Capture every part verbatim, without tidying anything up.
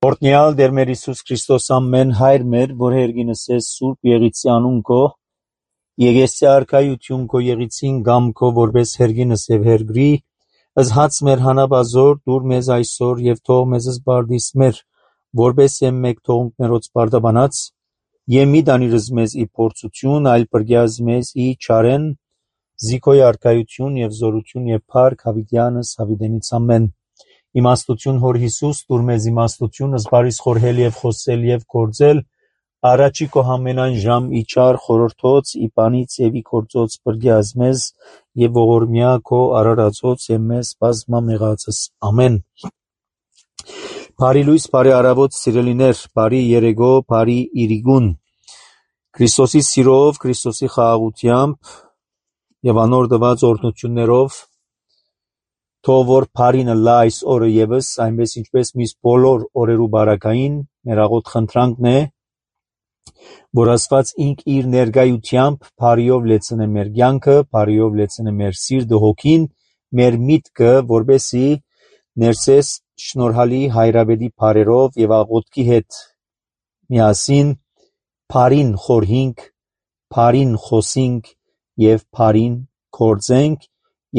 Օրհնյալ Տեր մեր Հիսուս Քրիստոս ամեն հայր մեր, որ հերգինս ես Սուրբ Եղիցի անուն քո, Եղեսի արքայություն քո Եղիցին գամ քո, որպես հերգինս եւ հերգրի, ըզհաց մեր հանապազոր դուր մեզ այսօր եւ թող մեզ զբարդիս մեր, որպես եմ մեկ թողունք մերոց բարդաբանած, եւ մի դանիրս մեզ ի փորձություն, այլ բրգյազ մեզ ի չարեն, զիքոյ արքայություն եւ զորություն եւ փառք հավիտյանս հավիտենից ամեն։ Իմաստություն հոր Հիսուս, դուր մեզ իմաստություն, զբարիս խորհել եւ խոսել եւ գործել, առաջի քո համենայն ժամ ի չար խորհրդոց, ի բանից եւ ի գործոց բրգյազ մեզ եւ ողորմյա քո արարածոց եւ մեզ բազմամեղածս ամեն։ Բարի լույս, բարի առավոտ, սիրելիներ, բարի երեգո, բարի իրիգուն, Քրիստոսի սիրով, Քրիստոսի խաղաղությամբ եւ անոր տված օրհնություններով, թող որ բարինը լա այս օրը եւս, այնպես ինչպես միս բոլոր օրերու բարակային, մեր աղոտ խնդրանքն է, որ Աստված ինք իր ներկայությամբ բարիով լեցնե մեր կյանքը, բարիով լեցնե մեր սիրտը, հոգին, մեր միտքը, որբեսի ներսես շնորհալի հայրաբեդի բարերով եւ աղոթքի հետ միասին բարին խորհինք, բարին խոսինք եւ բարին գործենք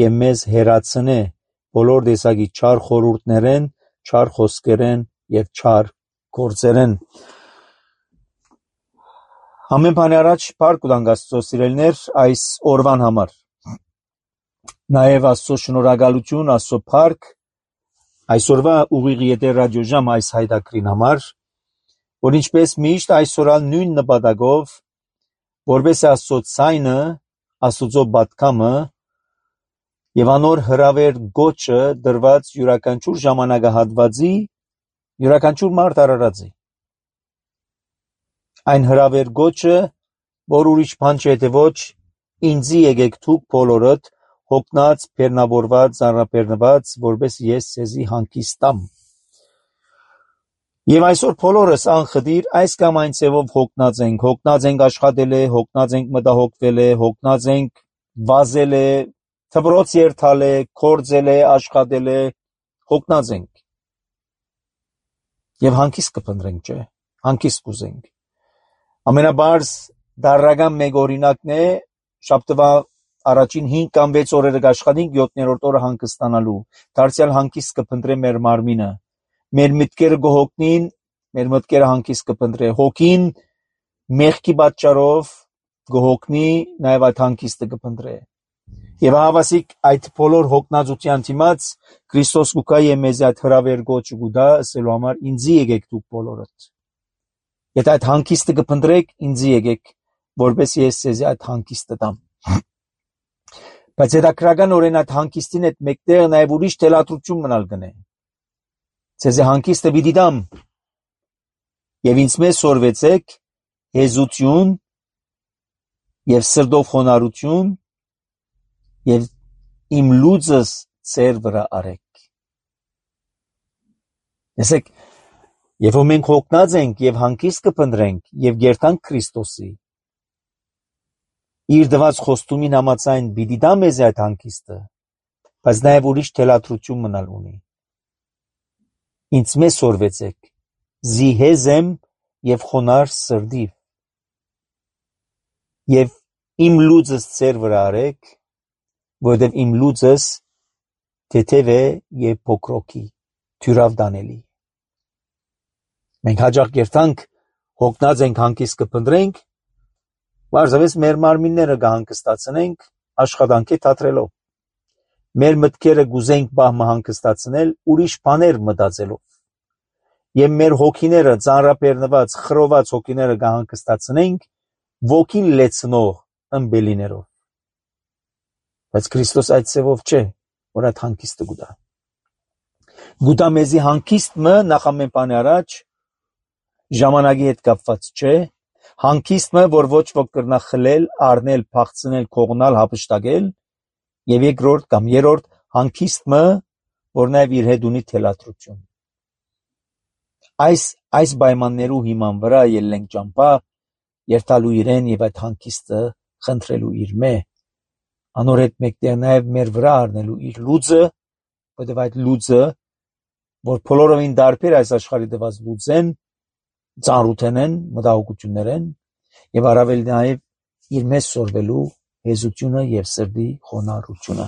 եւ մեզ հերացնե բոլոր տեսակի չար խորհուրդներեն, չար խոսքերեն եւ չար գործերեն։ Ամեն բանի առաջ փառք ունենք Աստծո սիրելիներ այս օրվան համար։ Նաեւ Աստծո շնորհակալություն, Աստծո փառք այսօրվա ուղիղ եթեր ռադիոժամ այս հայտակրին համար, որ ինչպես միշտ այսօրալ նույն նպատակով, որպես Աստծո ցայնը, Աստծո պատկամը եւ անոր հրավեր գոչը դրված յուրաքանչյուր ժամանակահատվածի յուրաքանչյուր մարդ արարածի այն հրավեր գոչը, որ ուրիշ բան չէ թե ոչ ինձի եկեք դուք բոլորդ հոգնած, բեռնավորված, ծանրաբեռնված, որպես ես ցեզի հանգիստ տամ։ Եվ այսօր բոլորս անխտիր այս կամ այն ձևով հոգնած ենք, հոգնած ենք աշխատել է, հոգնած ենք մտահոգվել է, հոգնած ենք վազել է, թբրոց երթալ է, կործել է, աշխատել է, հոգնած ենք։ Եվ հանգիստ կփնտրենք, չէ, հանգիստ կուզենք։ Ամենաբարձ դարական մեկ օրինակն է շաբթվա առաջին հինգ կամ վեց օրերը կաշխատենք, յոթերորդ օրը հանգստանալու, դարձյալ հանգիստ կփնտրե մեր մարմինը, մեր մտքերը կհոգնին, մեր մտքերը հանգիստ կփնտրե, հոգին մեղքի պատճառով կհոգնի, նաև այդ հանգիստը կփնտրե։ Եվ հավասիկ այդ բոլոր հոգնածության դիմաց Քրիստոս կուկա եւ մեզ այդ հրավեր գոչը կուտա ասելու համար ինձի եկեք դուք բոլորդ։ Եթե այդ հանգիստը կփնտրեք, ինձի եկեք, որպես ես ձեզ այդ հանգիստը տամ։ Բայց հետաքրական օրեն այդ հանգիստին հետ մեկտեղ նաև ուրիշ թելադրություն մնալ գնե։ Ձեզ հանգիստը պիտի տամ։ Եվ ինձ մեզ սորվեցեք հեզություն եւ սրտով խոնարհություն եւ իմ լուծս ծեր վրա արեք։ Տեսեք, երբ որ մենք հոգնած ենք եւ հանգիստ կփնտրենք եւ գերտանք Քրիստոսի, իր դված խոստումին համաձայն պիտի տա մեզ այդ հանգիստը, բայց նաեւ ուրիշ թելադրություն մնալ ունի։ Ինձ մեզ սորվեցեք, զիհեզեմ եւ խոնար սրդիվ, եւ իմ լուծս ծեր վրա արեք, որովհետեւ իմ լուծս թեթև է եւ փոքրոքի, թյուրավ դանելի։ Մենք հաջող կերտանք, հոգնած ենք հանգիստ կփնտրենք, բարձրապես մեր մարմինները կհանգստացնենք աշխատանքի թատրելով։ Մեր մտքերը գուզենք բահմը հանգստացնել ուրիշ բաներ մտածելով։ Եվ մեր հոգիները ծանրաբեռնված, խռոված հոգիները կհանգստացնենք ոգին լեցնող ըմբելիներով։ Բայց Քրիստոս այդ ծևով չէ, որ այդ հանգիստը գուտա։ Գուտա մեզի հանգիստը նախ ամեն բանի առաջ ժամանակի հետ կապված չէ, հանգիստը, որ ոչ ոք կրնա խլել, առնել, փախցնել, կողնալ, հափշտակել, եւ երկրորդ կամ երրորդ հանգիստը, որ նաեւ իր հետ ունի թելադրություն։ Այս այս պայմաններու հիման վրա ելնենք ճամփա, երթալու իրեն եւ այդ հանգիստը խնդրելու իր մե, անոր հետ մեկտեղ նաեւ մեր վրա առնելու իր լուծը, որովհետեւ այդ լուծը որ բոլորովին դարբեր այս աշխարհի դված լուծեն, ծանրութեն, մտահոգություններեն եւ առավել նաեւ իր մեզ սորվելու հեզությունը եւ սրտի խոնարհությունը։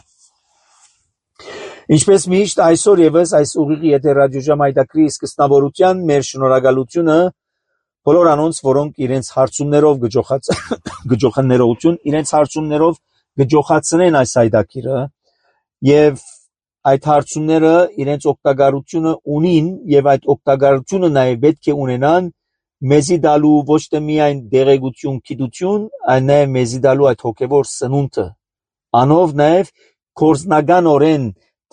Ինչպես միշտ այսօր եւս այս ուղիղի եթերաժամ հայտակրի սկզբնավորության մեր շնորհակալությունը բոլոր անոնց, որոնք իրենց հարցումներով գճոխած գճոխներողություն, իրենց հարցումներով գճոխացնեն այս հայտակիրը եւ այդ հարցումները իրենց օգտակարությունը ունին եւ այդ օգտակարությունը նաեւ պետք է ունենան մեզի դալու ոչ թե միայն դեղեցություն, գիտություն, այլ նաեւ մեզի դալու այդ հոգեվոր սնունդը, անով նաեւ կորզնականորեն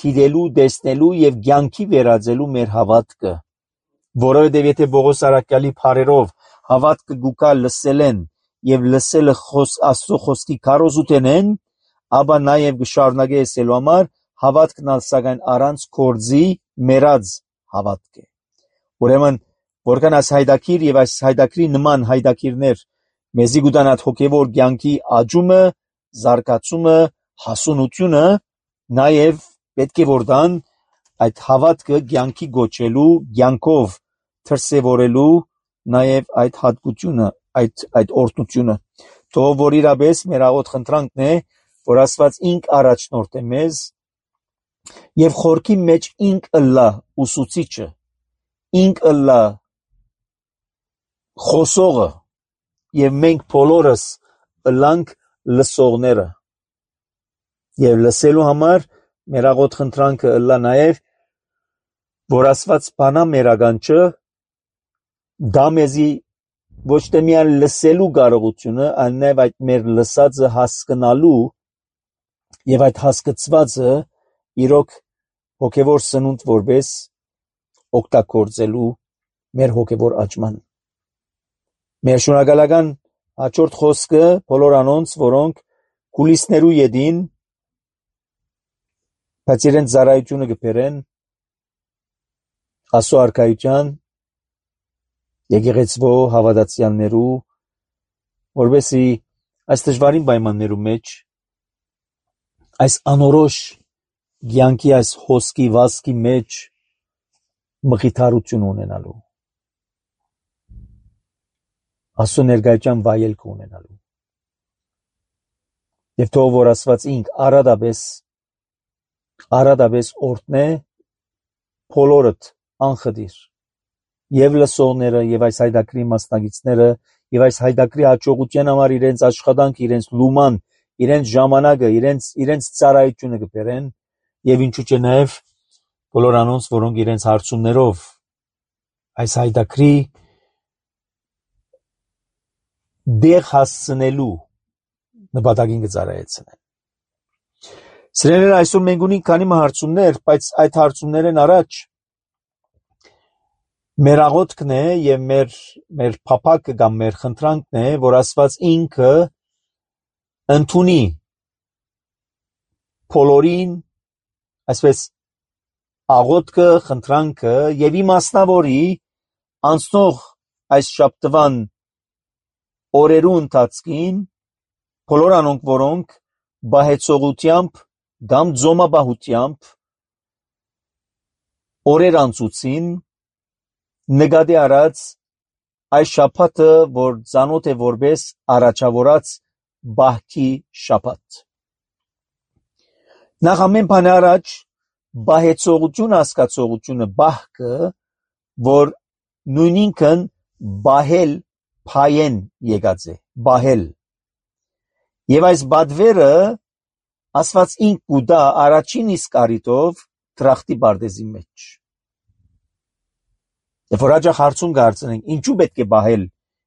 թիդելու, տեսնելու եւ ցանկի վերածելու մեր հավատքը, որովհետեւ եթե Պողոս Արաքյալի բարերով հավատքը գուկա լսելեն եւ լսելը խոս Աստծո խոսքի քարոզութենեն, ապա նաեւ գշարունակե ասելու համար հավատքն սակայն առանց կորձի մերած հավատք է։ Ուրեմն որքան այս հայտակիր եւ այս հայտակրի նման հայտակիրներ մեզի գուտանած հոգեվոր ցանկի աճումը, զարգացումը, հասունությունը նաեւ պետք է որդան այդ հավատքը ցանկի գոչելու, ցանկով թրսևորելու նաեւ այդ հատկությունը, այդ այդ օրհնությունը։ Թող որ իրապես մեր աղոտ խնդրանքն է, որ Աստված ինք առաջնորդ է մեզ եւ խորքի մեջ ինք ըլլա ուսուցիչը, ինք ըլլա խոսողը եւ մենք բոլորս ըլլանք լսողները եւ լսելու համար մեր աղոտ խնդրանքը ըլլա նաեւ որ Աստված բանա մեր ականջը դա մեզի ոչ թե միայն լսելու կարողությունը, այլ նաեւ այդ մեր լսածը հասկանալու եւ այդ հասկացվածը իրոք հոգեվոր սնունդ որպես օգտագործելու մեր հոգեվոր աճման։ Մեր շնորհակալական հաջորդ խոսքը բոլոր անոնց, որոնք կուլիսներու յետին բայց իրենց ծառայությունը կբերեն Աստծո արքայության եկեղեցվո հավատացյալներու, որովհետեւ այս դժվարին պայմաններու մեջ այս անորոշ ցանկի այս հոսքի վասկի մեջ մխիթարություն ունենալու, Աստծո ներկայության վայելք ունենալու եւ թող որ Աստված ինք արադապես արադապես օրհնե բոլորդ անխտիր եւ լսողները եւ այս հայտակրի մասնակիցները եւ այս հայտակրի հաջողության համար իրենց աշխատանք, իրենց լուման, իրենց ժամանակը, իրենց իրենց ծառայությունը կբերեն եւ ինչու՞ չէ նաեւ բոլոր անոնց, որոնք իրենց հարցումներով այս հայտակրի դեղ հասցնելու նպատակին կծառայեցնեն։ Սիրելիներ, այսօր մենք ունենք քանի հարցումներ, բայց այդ հարցումներն առաջ մեր աղոթքն է եւ մեր մեր փափակը կամ մեր խնդրանքն է, որ Աստված ինքը ընդունի բոլորին, այսպես աղոթքը, խնդրանքը եւ իմաստնավորի անցնող այս շաբթվան օրերու ընթացքին բոլոր անոնք, որոնք բահեցողությամբ կամ ձոմաբահությամբ օրեր անցուցին նկատի առած այս շաբաթը, որ ծանոթ է որպես առաջավորած բահքի շաբաթ։ Նախ ամեն բան առաջ բահեցողություն հասկացողությունը բահքը, որ նույնինքն բահել փայեն եկած է, բահել։ Եվ այս բադվերը Աստված ինք կուտա առաջին իսկ առիթով դրախտի բարձի մեջ։ Եվ որ հաջող հարցում կարծենք, ինչու պետք է բահել,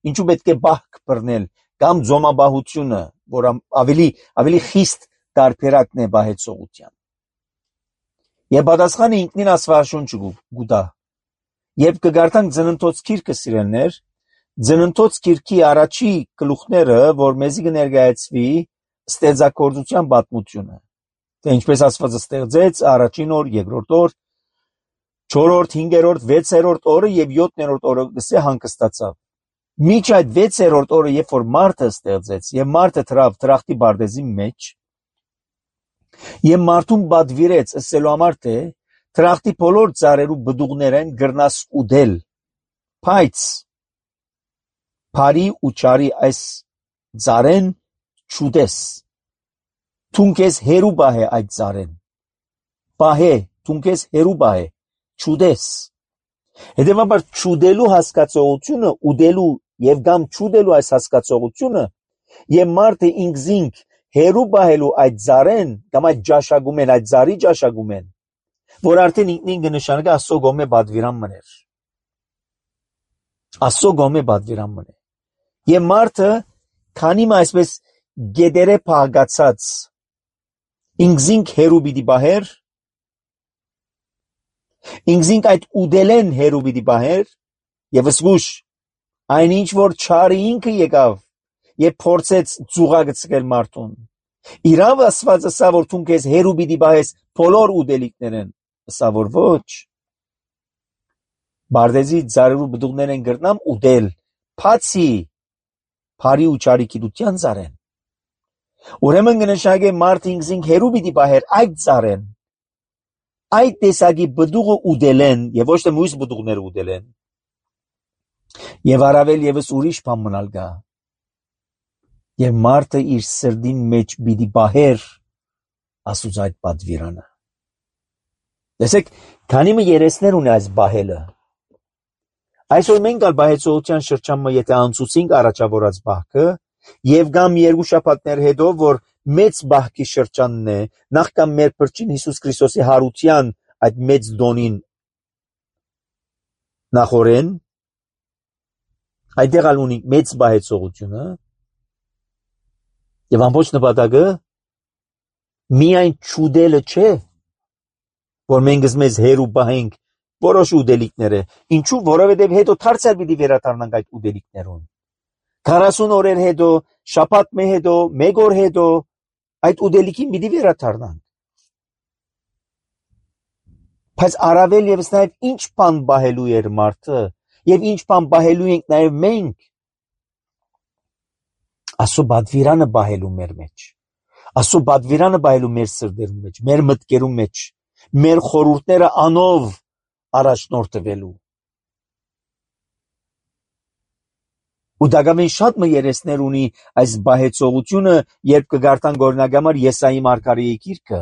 ինչու պետք է բահք բռնել, կամ ձոմաբահությունը, որ ավելի ավելի խիստ տարբերակն է բահեցողության։ Եվ պատասխանը ինքնին Աստվածաշունչը կուտա։ Եվ կգարտանք Ծննդոց գիրքը սիրելներ, Ծննդոց գիրքի առաջի գլուխները, որ մեզի կներկայացվի ստեղծագործության պատմությունը, թե ինչպես Աստված ստեղծեց առաջին օր, երկրորդ օր, չորրորդ, հինգերորդ, վեցերորդ օրը եւ յոթերորդ օրը գսե հանգստացավ։ Միջ այդ վեցերորդ օրը, երբ որ մարդը ստեղծեց եւ մարդը դրավ դրախտի բարձի մեջ, եւ մարդուն բադվիրեց ասելու համար թե Թրախտի բոլոր ծառերու բդուղներեն գրնաս ուդել, բայց բարի ու չարի այս ծառեն չուդես, թունքես հերու բահե այդ ծառեն, բահե, թունքես հերու բահե, չուդես, հետևաբար չուդելու հասկացողությունը, ուդելու և գամ չուդելու այս հասկացողությունը և մարդը ինքզինք հերու բահելու այդ ծառեն, կամ այդ ճաշակում են, այդ ծառի ճաշակում են, որ արդեն ինքնին կնշանակի Աստծո կողմէ պատվիրան մներ, Աստծո կողմէ պատվիրան մներ, և մարդը քանի մը այսպես գետերը փաղկացած ինքզինք հերու պիտի բահեր, ինքզինք այդ ուդելեն հերու պիտի բահեր, և զգուշ այն ինչ որ չարը ինքը եկավ և փորձեց ծուղակը ցկել մարդուն, իրավ Աստված ասա որ թուն քեզ հերու պիտի բահես բոլոր ուդելիքներեն, ասա որ ոչ, բարդեզի ծառերու բդուղներեն գրնամ ուդել, բացի բարի ու չարի գիտության ծառեն, ուրեմն կնշանակե մարդը ինքզինք հերու պիտի բահեր այդ ծառեն, այդ տեսակի բդուղը ուդելեն և ոչ թե մյուս բդուղները ուդելեն, և առավել ևս ուրիշ բան մնալ կա, և մարդը իր սրտին մեջ պիտի բահեր Աստուծո այդ պատվիրանը, տեսեք, քանի մը երեսներ ունի այս բահելը, այսօր մենք ալ բահեցողության շրջանը եթե անցուցինք առաջավորած բահքը և կամ երկու շաբաթներ հետո, որ մեծ բահքի շրջանն է, նախքան մեր Փրկին Հիսուս Քրիստոսի հարության այդ մեծ դոնին նախորեն, այդտեղ ալ ունի մեծ բահեցողությունը և ամբողջ նպատակը միայն չուդելը չէ, որ մենք մեզ հերու բահենք որոշ ուդելիքներ է, ինչու, որովհետև հետո դարձյալ պիտի վերադառնանք այդ ուդելիքներուն, քառասուն օրեր հետո, շաբաթ մե հետո, մեկ օր հետո, այդ ուդելիքին պիտի վերադառնանք, բայց առավել ևս նաև ինչ բան բահելու էր մարդը, և ինչ բան բահելու ենք նաև մենք, Աստծո պատվիրանը բահելու մեր մեջ, Աստծո պատվիրանը բահելու մեր սրտերում մեջ, մեր մտքերում մեջ, մեր խորհուրդները անով առաջնորդվելու, ու դակամեն շատ մը երեսներ ունի այս բահեցողությունը, երբ կգարտան օրինակ Եսայի մարգարեի գիրքը,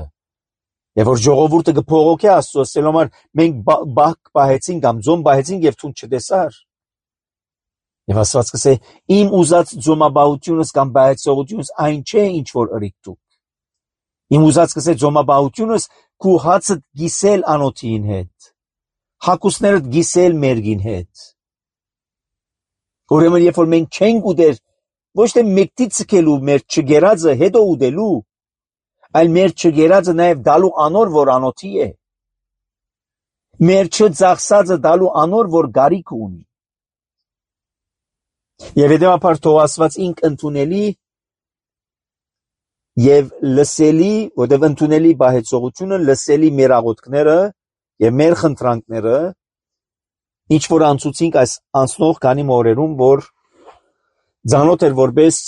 և որ ժողովուրդը կփողոքե Աստծո, ասելու համար մենք բահ բահեցինք կամ ձոմ բահեցինք և թուն չտեսար, և Աստված կսե իմ ուզած ձոմաբահությունս կամ բահեցողությունս այն չէ ինչ որ ըրիք դուք, իմ ուզած կսե ձոմաբահությունս քու հացդ գիսել անոթին հետ, հակուսներդ գիսել մերգին հետ, ուրեմն երբ որ մենք չենք ուդեր, ոչ թե մեկտի ցկելու մեր չգերածը հետո ուդելու, այլ մեր չգերածը նաև դալու անոր որ անոթի է, մեր չծախսածը դալու անոր որ գարիք ունի, և հետևաբար թող Աստված ինք ընդունելի և լսելի, որտև ընդունելի բահեցողությունը լսելի մեր աղոթքները և մեր խնդրանքները, ինչ որ անցուցինք այս անցնող քանի օրերում, որ ծանոթ էր որպես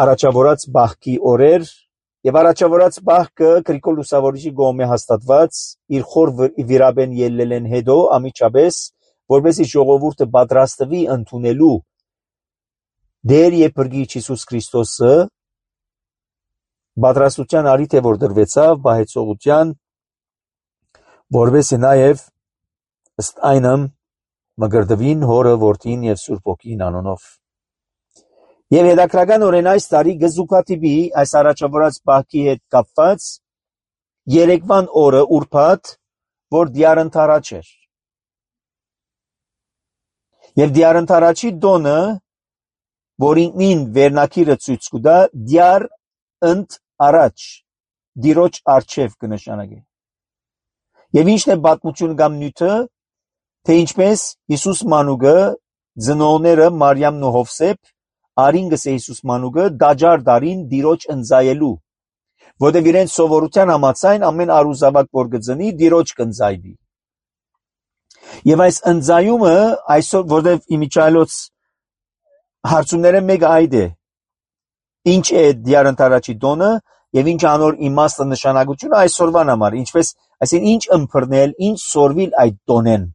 առաջավորած բահքի օրեր, և առաջավորած բահքը Գրիգոր Լուսավորիչի կողմէ հաստատված իր խոր վիրաբեն ելլելեն հետո ամիջապես, որպեսզի ժողովուրդը պատրաստվի ընդունելու Դեր և Փրկիչ Հիսուս Քրիստոսը, պատրաստության առիթ է որ դրվեցավ բահեցողության, որպեսզի նաև ըստ այնը մգրտվին Հորը, Որդին և Սուրբ Հոգին անունով։ Եվ հետաքրքրականորեն այս տարի կզուգադիպի այս առաջավորած բահքի հետ կապված երեկվան օրը ուրբաթ, որ դյարընթարաչ էր։ Եվ դյարընթարաչի տոնը, որ ինքնին վերնակիրը ցույց կտա, դյար ընդ առաջ, դիրոջ առջև կնշանակի։ Եվ ինչն է պատմություն կամ նյութը, թե ինչպես Հիսուս մանուկը, ծնողները Մարիամն ու Հովսեփ, արին գսե Հիսուս մանուկը դաջար դարին դիրոջ ընծայելու, որտեղ իրենց սովորության համաձայն ամեն արուզավակ որ կծնի դիրոջ կընծայվի։ Եվ այս ընծայումը այսօր, որտեղ իմիջայլոց հարցումները մեկը այդ է, ինչ է դյարընթարաչի տոնը, եւ ինչ անոր իմաստը նշանակությունը այսօրվան համար, ինչպես այսինքն ինչ ըմբռնել, ինչ սորվիլ այդ տոնեն։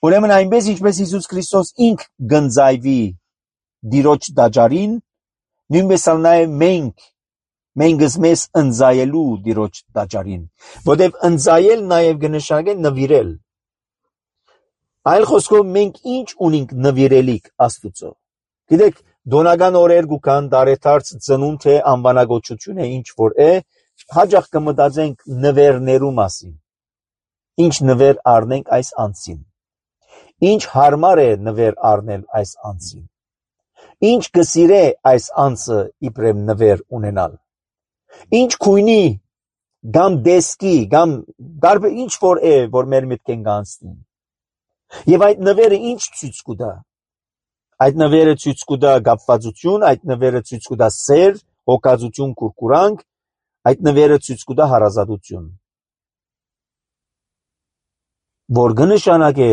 Ուրեմն այնպես ինչպես Հիսուս Քրիստոս ինք գնձայվի դիրոջ դաջարին, նույնպես ալ նաեւ մենք մենք մեզ ընձայելու դիրոջ դաջարին, որտեւ ընձայել նաեւ կնշանակե նվիրել։ Այլ խոսքով մենք ինչ ունենք նվիրելիք Աստուծո։ Գիտեք, դոնական օրեր կան դարեթարց ծնունդ է անվանագոչություն է ինչ որ է, հաջող կմտածենք նվերներու մասին։ Ինչ նվեր առնենք այս անձին։ Ինչ հարմար է նվեր առնել այս անձին։ Ինչ կսիրե այս անձը իբրև նվեր ունենալ։ Ինչ քույնի կամ դեսկի կամ դարբեր ինչ որ է, որ մեր մտքեն կանցնի։ Եվ այդ նվերը ինչ ցույց կտա։ Այդ նվերը ցույց կտա գապվածություն, այդ նվերը ցույց կտա սեր, հոգածություն, կուրկուրանք, այդ նվերը ցույց կտա հարազատություն։ Որ կնշանակե,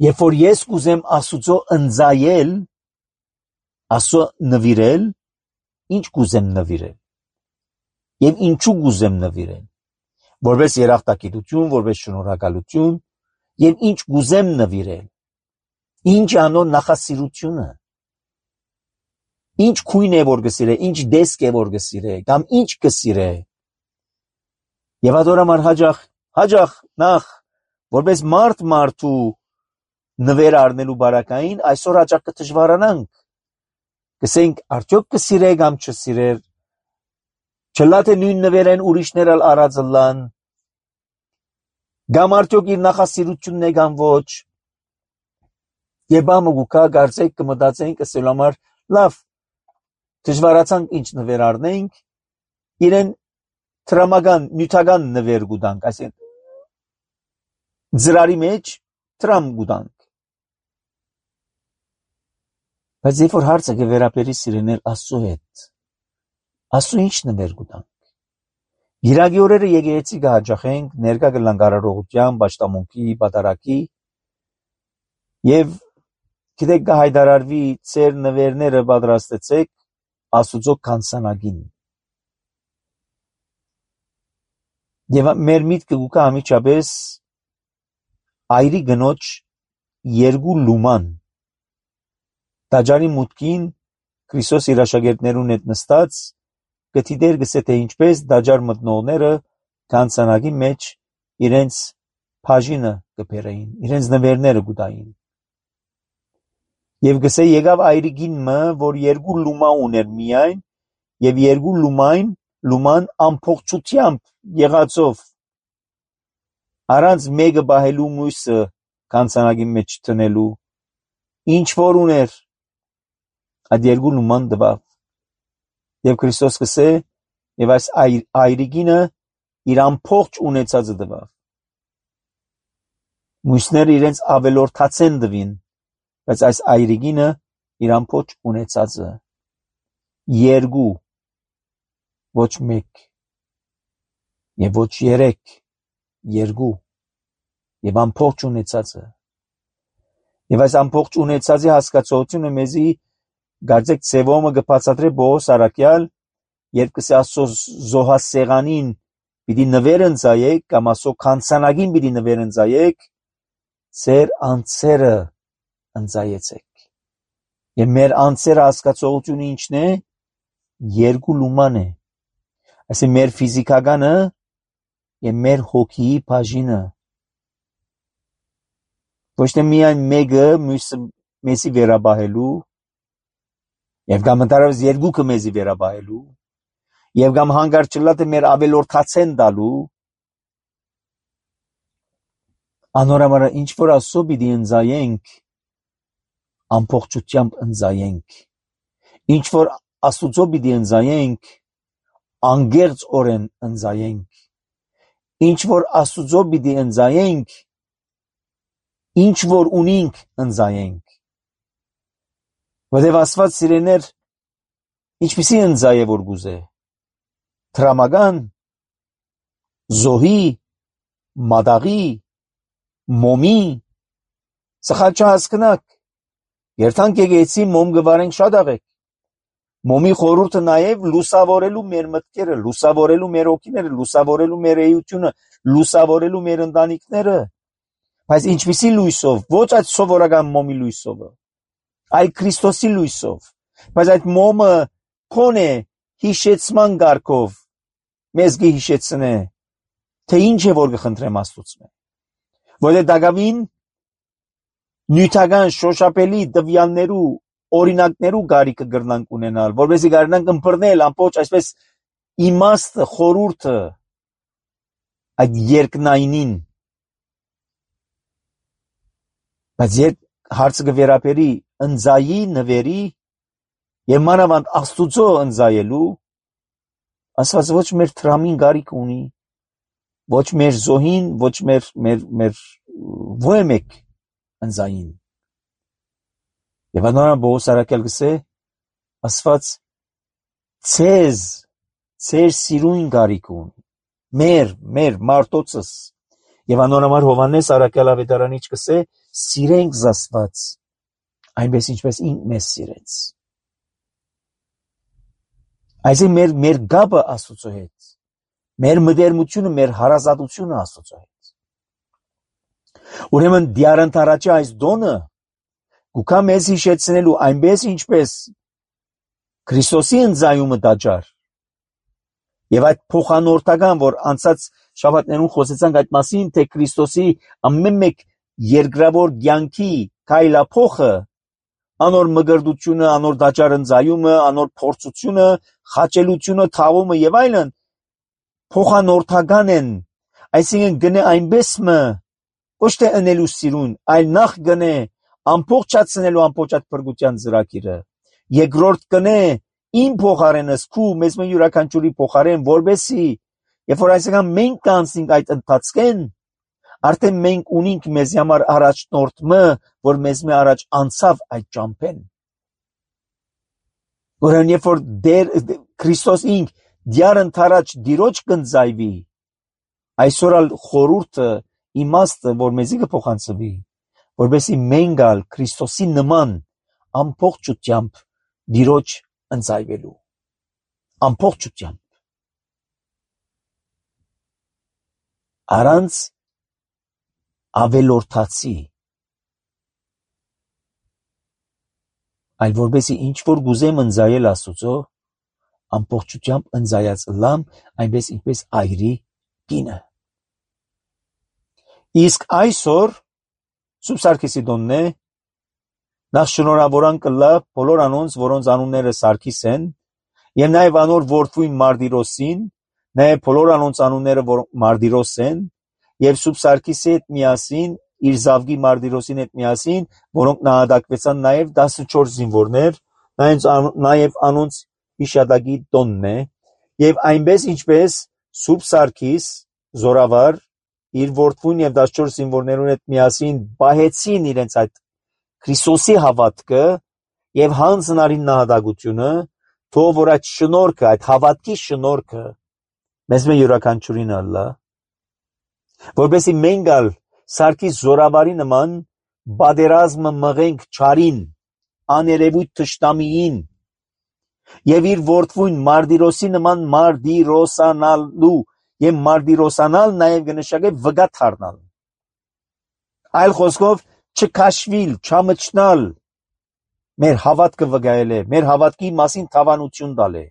երբ որ ես կուզեմ Աստուծո ընձայել, Աստծո նվիրել, ինչ կուզեմ նվիրել։ Եվ ինչու կուզեմ նվիրել։ Որպես երախտագիտություն, որպես շնորհակալություն, եւ ինչ կուզեմ նվիրել։ Ինչ անոր նախասիրությունը։ Ինչ քույն է որ գսիրե, ինչ դեսկ է որ գսիրե, կամ ինչ գսիրե։ Եվ adorամար հաջախ, հաջախ նախ, որպես մարդ մարդու նվեր առնելու բարակային, այսօր հաջախ կդժվարանանք։ Կսենք արդյոք կսիրե կամ չսիրեր։ Չլա թե նույն նվերեն ուրիշներ ալ առածլան։ Կամ արդյոք իր նախասիրությունն է կամ ոչ։ Եվ ամը գուկա գարցեք կմտածենք ասել համար լավ դժվարացանք ինչ նվեր առնենք իրեն տրամական նյութական նվեր գուտանք այսինքն ծրարի մեջ տրամ գուտանք բայց երբ որ հարցը կվերապերի սիրենել Աստծո հետ Աստծո ինչ նվեր գուտանք Գիրագի օրերը եկեղեցի կհաճախենք ներկա կլանք արարողության, պաշտամունքի, պատարակի եւ գիտեք կհայտարարվի ծեր նվերները պատրաստեցեք Աստուծո քանսանագին եւ մեր միտքը գուկա ամիջապես այրի գնոջ երկու լուման տաճարի մուտքին Քրիստոս իր աշակերտներուն հետ նստած գտիդեր գսե թե ինչպես դաջար մտնողները քանսանագի մեջ իրենց բաժինը կբերեին, իրենց նվերները գուտային։ Եվ գսե եկավ այրիգինը, որ երկու լումա ուներ միայն, եւ երկու լումայն, լուման ամփոփչությամբ եղածով առանց մեկը բահելու մույսը քանսանագի մեջ տնելու, ինչ որ ուներ, այդ երկու լուման դվավ։ Եվ Քրիստոս կսե, եւ այս այրիգինը իր ամփոփչ ունեցածը դվավ։ Մույսները իրենց ավելորդացեն դվին, բայց այս այրիգինը իր ամփոփչ ունեցածը երկու, ոչ մեկ, եւ ոչ երեք, երկու, եւ ամփոփչ ունեցածը։ Եվ այս ամփոփչ ունեցածի հասկացությունը մեզի Գարձեք ծևոմը կբացատրե Պողոս Արաքյալ, երբ կսե Աստծո զոհասեղանին պիտի նվեր ընծայեք, կամ Աստծո քանսանագին պիտի նվեր ընծայեք, ձեր անձերը ընծայեցեք։ Եվ մեր անձերը հասկացողությունը ինչն է, երկու լուման է։ Այսինքն մեր ֆիզիկականը եւ մեր հոգիի բաժինը։ Ոչ թե միայն մեկը մյուսը մեզի վերաբահելու Եվ կամ ընդհանրապես երկուքը մեզի վերաբահելու, եւ կամ հանգարց չլա թե մեր ավելորդացեն տալու, անորամարը ինչ որ Աստծո պիտի ընծայենք, ամփոփչությամբ ընծայենք, ինչ որ Աստուծո պիտի ընծայենք, անգերծորեն ընծայենք, ինչ որ Աստուծո պիտի ընծայենք, ինչ որ ունենք ընծայենք, Որտեւ Աստված սիրեներ ինչպիսի ընծայ է որ գուզե տրամական զոհի մադաղի մոմի սխալ չհասկնաք երթանք եկեցի մոմ գվարենք շատ աղեք Մոմի խորհուրդը նաև լուսավորելու մեր մտքերը, լուսավորելու մեր օգիները, լուսավորելու մեր էությունը, լուսավորելու մեր ընտանիքները, բայց ինչպիսի լույսով, ոչ այդ սովորական մոմի լույսով, այլ Քրիստոսի լույսով, բայց այդ մոմը քոնե հիշեցման գարկով մեզ գհիշեցնե, թե ինչ է որ կխնդրեմ Աստծուց, որտեղ դակավին նյութական շոշափելի տվյալներու օրինակներու գարիկը գրնանք ունենալ, որովհետեւ գարնանք ըմբռնել ամբողջ այսպես իմաստը, խորհուրդը այդ երկնայինին, բայց երբ հարցը կվերապերի ընձայի նվերի եւ մանավանդ Աստուծո ընձայելու, Աստված ոչ մեր տրամին գարիկ ունի, ոչ մեր զոհին, ոչ մեր մեր մեր ոչ մեկ ընձային։ Եվ անորան Պողոս արաքյալ գսե, Աստված ցեզ, ցեր սիրուն գարիկ ունի, մեր, մեր մարդոցս, եւ անորամար Հովանես արաքյալ ավետարանիչ գսե, սիրենք Աստված, այնպես ինչպես ինք մեզ սիրեց։ Այսինքն մեր մեր գաբը Աստծո հետ, մեր մտերմությունը, մեր հարազատությունը Աստծո հետ։ Ուրեմն դիարընթարաճի այս դոնը գուքա մեզ հիշեցնելու այնպես ինչպես Քրիստոսի ընձայումը դաջար եւ այդ փոխանորդական, որ անցած շաբաթներուն խոսեցանք այդ մասին, թե Քրիստոսի ամեն մեկ երկրավոր կյանքի քայլափոխը, անոր մգրդությունը, անոր դաջար ընձայումը, անոր փորձությունը, խաչելությունը, թավումը եւ այլն փոխանորդական են, այսինքն գնե այնպես մը ոչ թե ընելու սիրուն, այլ նախ գնե ամբողջացնելու ամբողջ այդ փրկության ծրագիրը, երկրորդ գնե իմ փոխարենս քու մեզ մը յուրաքանչյուրի փոխարեն, որբեսի երբ որ այսինքն մենք կանցնենք այդ ընթացքեն, արդեն մենք ունենք մեզ համար առաջնորդը, որ մեզ մը առաջ անցավ այդ ճամփեն։ Որն երբ որ դեր Քրիստոս ինք դյար ընթարաճ դիրոջ կնձայվի, այսօր ալ խորուրդը իմաստը, որ մեզի կփոխանցվի, որբեսի մենք ալ Քրիստոսի նման ամբողջությամբ դիրոջ ընձայվելու, ամբողջությամբ, առանց ավելորդացի, այլ որբեսի ինչ որ գուզեմ ընձայել Աստուծո, ամբողջությամբ ընձայած լամ, այնպես ինչպես այրի կինը։ Իսկ այսօր Սուրբ Սարգիսի տոնն է, նախ շնորհավորան կլա բոլոր անոնց, որոնց անունները Սարգիս են, եւ նաեւ անոր որդվույն Մարտիրոսին, նաեւ բոլոր անոնց անունները, որ Մարտիրոս են, եւ Սուրբ Սարգիսի հետ միասին, իր զավգի Մարտիրոսին հետ միասին, որոնք նահատակվեցան նաեւ տասնչորս զինվորներ, նաեւ անոնց հիշատակի տոնն է, եւ այնպես ինչպես Սուրբ Սարգիս զորավար իր որդվույն եւ տասնչորս զինվորներուն հետ միասին պահեցին իրենց այդ Քրիստոսի հավատքը եւ հանձնարին նահատակությունը, թող որ այդ շնորհքը, այդ հավատքի շնորհքը մեզ մե յուրաքանչյուրին ալլա, որովհետեւ մենք ալ Սարգիս զորավարի նման բادرազմը մղենք չարին, աներևույթ թշնամիին եւ իր որդվույն Մարտիրոսի նման մարտիրոսանալու եւ մարտիրոսանալ նաեւ կնշանակե վգա թարնալ, այլ խոսքով չքաշվիլ, չամճնալ, մեր հավատքը վգայել է, մեր հավատքի մասին թավանություն տալ է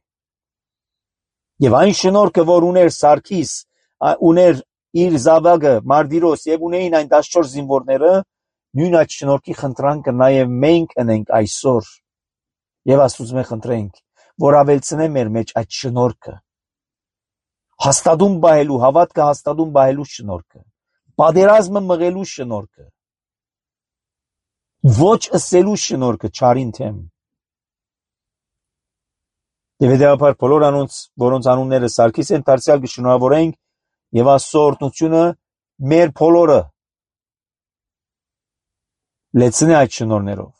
եւ այն շնորհքը, որ ուներ Սարգիս, ուներ իր զավակը Մարտիրոս եւ ունեին այն տասնչորս զինվորները, նույն այդ շնորհքի խնդրանքը նաեւ մենք ունենք այսօր եւ Աստծո մենք խնդրենք, որ ավելցնե մեր մեջ այդ շնորհքը, հաստատում բահելու, հավատքը հաստատում բահելու շնորհքը, բادرազմը մղելու շնորհքը, ոչ ըսելու շնորհքը չարին թեմ։ Եվ հետևաբար բոլոր անոնց, որոնց անունները Սարգիս են, դարձյալ կշնորհավորենք եւ Աստծո օրհնությունը մեր բոլորը լեցնե այդ շնորհներով։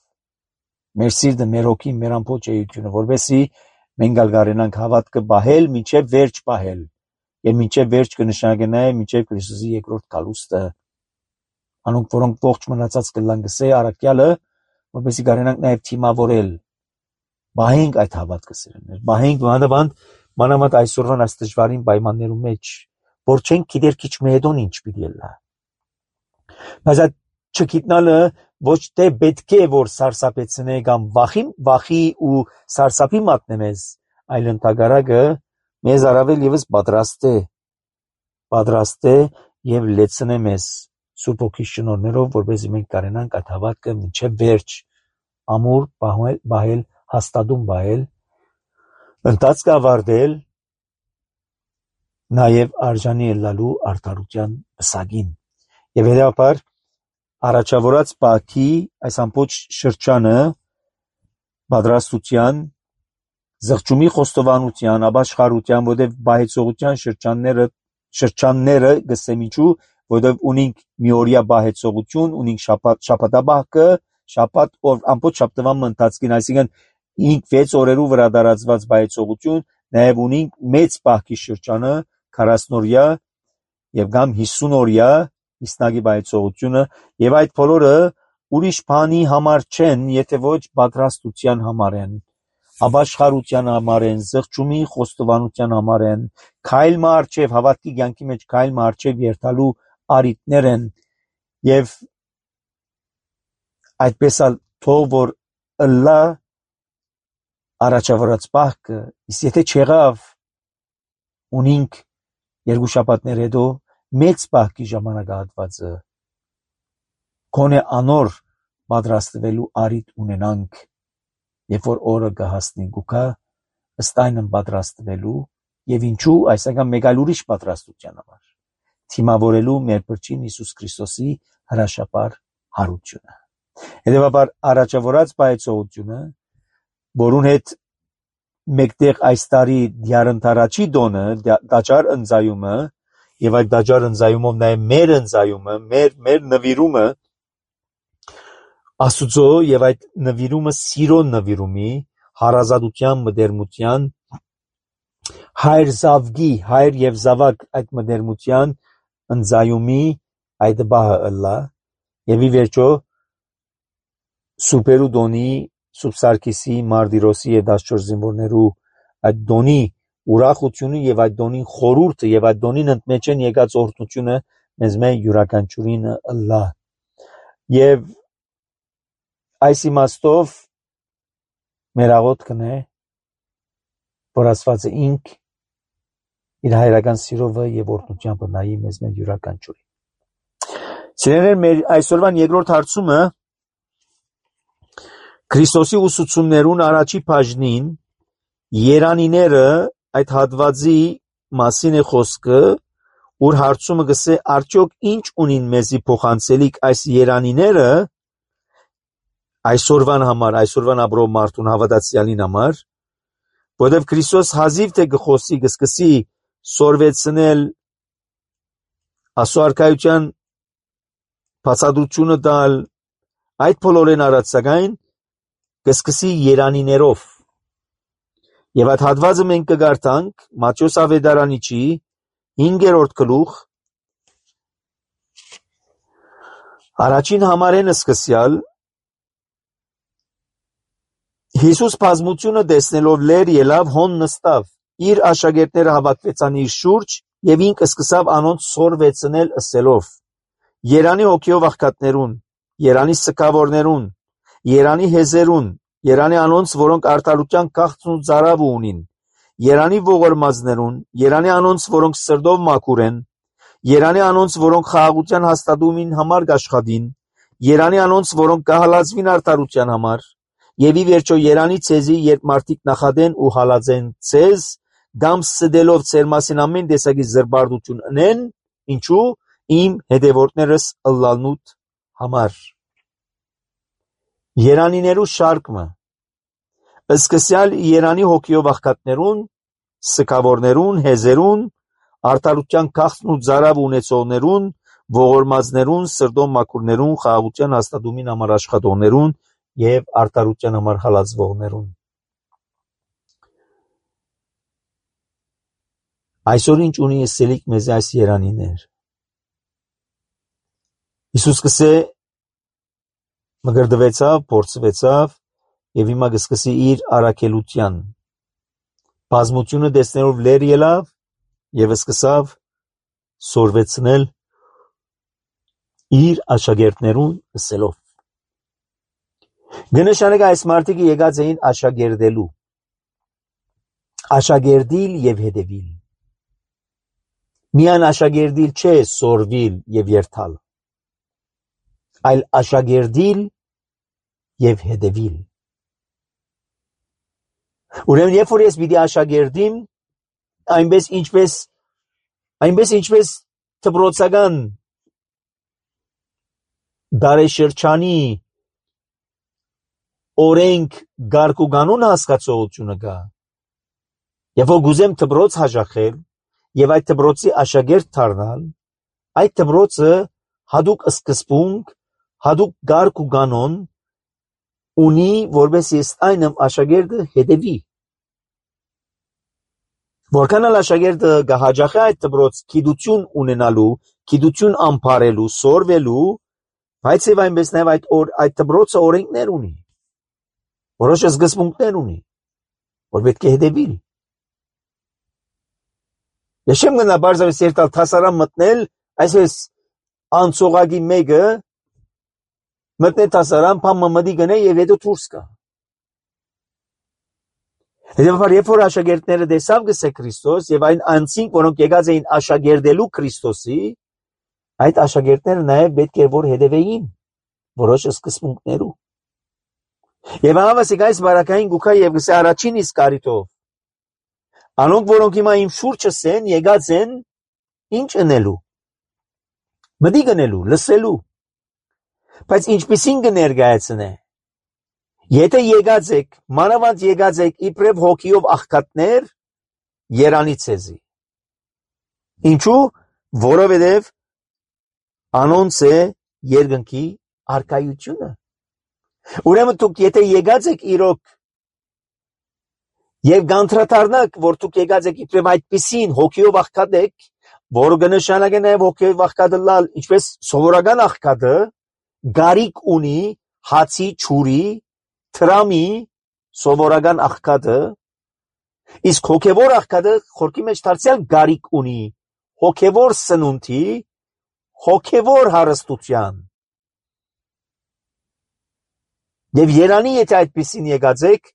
Մեր սիրտը, մեր հոգին, մեր ամբողջ էությունը, որովհետեւ մենք ալ կարենանք հավատքը բահել, մինչեւ վերջ բահել, եւ մինչեւ վերջ կնշանակե նաեւ մինչեւ Քրիստոսի երկրորդ գալուստը։ Անոնք, որոնք ողջ մնացած կլան գսե արաքյալը, որովհետեւ կարենանք նաեւ թիմավորել Բահենք այդ հավատքը սիրելիներ, բահենք մանավանդ մանավանդ այսօրվան այս դժվարին պայմաններում մեջ, որ չենք գիտեր քիչ մեդոն ինչ պիտի լա։ Բայց այդ չգիտնալը ոչ թե պետք է որ սարսափեցնե կամ վախի վախի ու սարսափի մատնե մեզ, այլ ընդհակառակը մեզ առավել եւս պատրաստ է պատրաստ է եւ լեցնե մեզ Սուրբ Հոգի շնորհներով, որպեսզի մենք կարենանք այդ հավատքը մինչև վերջ ամուր բահել, բահել հաստատում բահել, ընթացքը ավարտել, նաև արժանի ելնալու արդարության պսակին։ Եվ հետապար առաջավորած բակի այս ամբողջ շրջանը պատրաստության, զղջումի խոստովանության, ապաշխարության, որտեղ բահեցողության շրջանները շրջանները գսեմիջու, որտեղ ունենք միօրյա բահեցողություն, ունենք շաբաթ շաբաթաբահքը, շաբաթ օր ամբողջ շաբաթվան ընթացքին, այսինքն ինք վեց օրերու վրա դարածված բահեցողություն, նաև ունենք մեծ բահքի շրջանը, քառասունօրյա եւ կամ հիսունօրյա իսնագի բահեցողությունը, եւ այդ բոլորը ուրիշ բանի համար չեն, եթե ոչ պատրաստության համար են, ապաշխարության համար են, զղջումի խոստովանության համար են, քայլ մարչև հավատքի կյանքի մեջ քայլ մարչև երթալու արիտներ են, եւ այդպես ալ թող որ ըլլա առաջավորած բահքը, իսկ եթե չեղավ ունենք երկու շաբաթներ հետո մեծ բահքի ժամանակահատվածը, գոնե անոր պատրաստվելու արիտ ունենանք, երբ որ օրը կհասնի գուքա, ըստ այնն պատրաստվելու եւ ինչու այսական մեկ այլ ուրիշ պատրաստության համար, թիմավորելու մեր Փրկին Հիսուս Քրիստոսի հրաշապար հարությունը։ Հետևաբար առաջավորած բայեցողությունը, որուն հետ մեկտեղ այս տարի դյարընթարաչի դոնը, դաջար ընձայումը եւ այդ դաջար ընձայումով նաեւ մեր ընձայումը, մեր մեր նվիրումը Աստուծո եւ այդ նվիրումը սիրո նվիրումի, հարազատության, մտերմության, հայր զավգի, հայր եւ զավակ այդ մտերմության ընձայումի այդ բահը ըլլա եւ ի վերջո սուպերու դոնի Սուրբ Սարգիսի, Մարտիրոսի եւ դասչորս զինվորներու այդ դոնի ուրախությունը եւ այդ դոնին խորուրդը եւ այդ դոնին ընդմեջեն եկած օրհնությունը մեզ մե յուրաքանչյուրին ըլլա եւ այս իմաստով մեր աղոթքն է, որ Աստվածը ինք իր հայրական սիրովը եւ օրհնությամբ նայի մեզ մեր յուրաքանչյուրին։ Սիրելիներ, մեր այսօրվան երկրորդ հարցումը Քրիստոսի ուսուցումներուն առաջի բաժնին երանիները այդ հատվածի մասին է խոսքը, ուր հարցումը գսե արդյոք ինչ ունին մեզի փոխանցելիք այս երանիները այսօրվան համար, այսօրվան ապրող մարդուն հավատացյալին համար, որովհետև Քրիստոս հազիվ թե գխոսի գսկսի սորվեցնել ասոարքայության բացատրությունը տալ այդ բոլորեն արածական գսկսի երանիներով եւ այդ հատվածը մենք կգարտանք Մատթեոս ավետարանիչի հինգերորդ գլուխ առաջին համարենը սկսյալ Հիսուս բազմությունը տեսնելով լեր ելավ հոն նստավ իր աշակերտները հավաքվեցան իր շուրջ եւ ինքը սկսավ անոնց սորվեցնել ըսելով Երանի հոգիով աղքատներուն Երանի սքավորներուն Երանի հեզերուն Երանի անոնց որոնք արդարության քաղցն ու ծարավը ունին Երանի ողորմածներուն Երանի անոնց որոնք սրտով մաքուր են Երանի անոնց որոնք խաղաղության հաստատումին համար կաշխատին Երանի անոնց որոնք կհալածվին արդարության համար Եվ ի վերջո երանի ցեզի երբ մարդիկ նախադեն ու հալածեն ցեզ կամ սդելով ցեր մասին ամեն տեսակի զրբարդություն ունեն ինչու իմ հետևորդներս ըլլալնուտ համար Երանիներու շարքը սկսյալ Երանի հոգիով աղքատներուն սքավորներուն հեզերուն արդարության քաղցն ու ծարավ ունեցողներուն ողորմածներուն սրտով մաքուրներուն խաղաղության հաստատումին համար աշխատողներուն եւ արդարության համար հալածվողներուն Այսօր ինչ ունի եսելիք մեզ այս երանիներ Հիսուս կսե մգրդվեցավ, փորձվեցավ եւ հիմա կսկսի իր առաքելության։ Բազմությունը տեսնելով լեր ելավ եւ սկսավ սորվեցնել իր աշակերտներուն ասելով։ Գնշանեկը այս մարդիկը եկած էին աշակերտելու, աշակերտիլ եւ հետևիլ։ Միան աշակերտիլ չէ սորվիլ եւ երթալ, այլ աշակերտիլ եւ հետևիլ։ Ուրեմն երբ որ ես պիտի աշակերտիմ, այնպես ինչպես այնպես ինչպես դպրոցական դարեշրջանի օրենք գարկ ու կանոն հասկացողությունը կա։ Երբ որ գուզեմ դպրոց հաճախել եւ այդ դպրոցի աշակերտ դառնալ, այդ դպրոցը հadoop սկզբունք, հadoop գարկ ու կանոն ունի, որպես ես այնմ աշակերտը հետևի։ Որքան էլ աշակերտը կհաճախի այդ դպրոց գիտություն ունենալու, գիտություն ամփարելու, սորվելու, բայց եւ այնպես նաեւ այդ այդ դպրոցը օրենքներ ունի, որոշ սկզբունքներ ունի, որ պետք է հետևի։ Ես չեմ գնա բարձրապես երթալ թասարան մտնել, այսպես անցողագի մեկը մտնել թասարան, փամմամդի գնե եւ հետո դուրս գա։ Հետևաբար երբ որ աշակերտները տեսավ գսե Քրիստոս եւ այն անձինք, որոնք եկած էին աշակերտելու Քրիստոսի, այդ աշակերտները նաեւ պետք է որ հետևեին որոշ սկզբունքներու։ Եվ հավասիկ այս բարակային գուքա եւ գսե առաջին իսկ կարիթով։ Անոնք, որոնք հիմա իմ շուրջս են, եկած են ինչ ընելու, մտի գնելու, լսելու, բայց ինչպիսին կներկայացնե։ Եթե եկած եք, մանավանդ եկած եք իբրև հոգիով աղքատներ, երանի ցեզի։ Ինչու՞, որովհետև անոնց է երկնքի արքայությունը։ Ուրեմն դուք եթե եկած եք իրոք եւ գանտրատարնակ, որ դուք եկած եք իբրև այդպիսին հոգիով աղքատ եք, որը կնշանակե նաեւ հոգիով աղքատը լալ, ինչպես սովորական աղքատը գարիկ ունի հացի, ջուրի, տրամի, սովորական աղքատը, իսկ հոգևոր աղքատը խորքի մեջ դարձյալ գարիկ ունի հոգևոր սնունդի, հոգևոր հարստության։ Եվ երանի եթե այդպիսին եկած եք,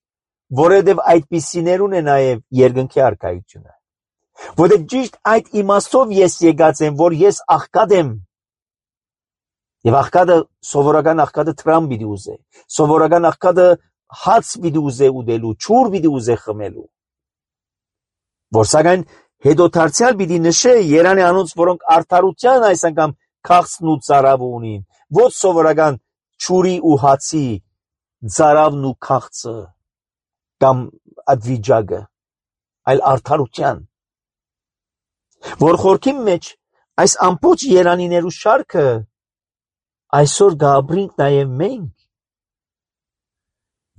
որովհետև այդպիսիներուն է նաև երկնքի արքայությունը։ Որովհետև ճիշտ այդ իմաստով ես եկած եմ, որ ես աղքատ եմ։ Եվ աղքատը, սովորական աղքատը տրամ պիտի ուզե, սովորական աղքատը հաց պիտի ուզե ուտելու, ջուր պիտի ուզե խմելու։ Որ սակայն հետո դարձյալ պիտի նշե երանի անոնց, որոնք արդարության այս անգամ քաղցն ու ծարավը ունին, ոչ սովորական ջուրի ու հացի ծարավն ու քաղցը կամ ադվիճակը, այլ արդարության։ Որ խորքի մեջ այս ամբողջ երանիներու շարքը այսօր գաբրինք նաև մենք։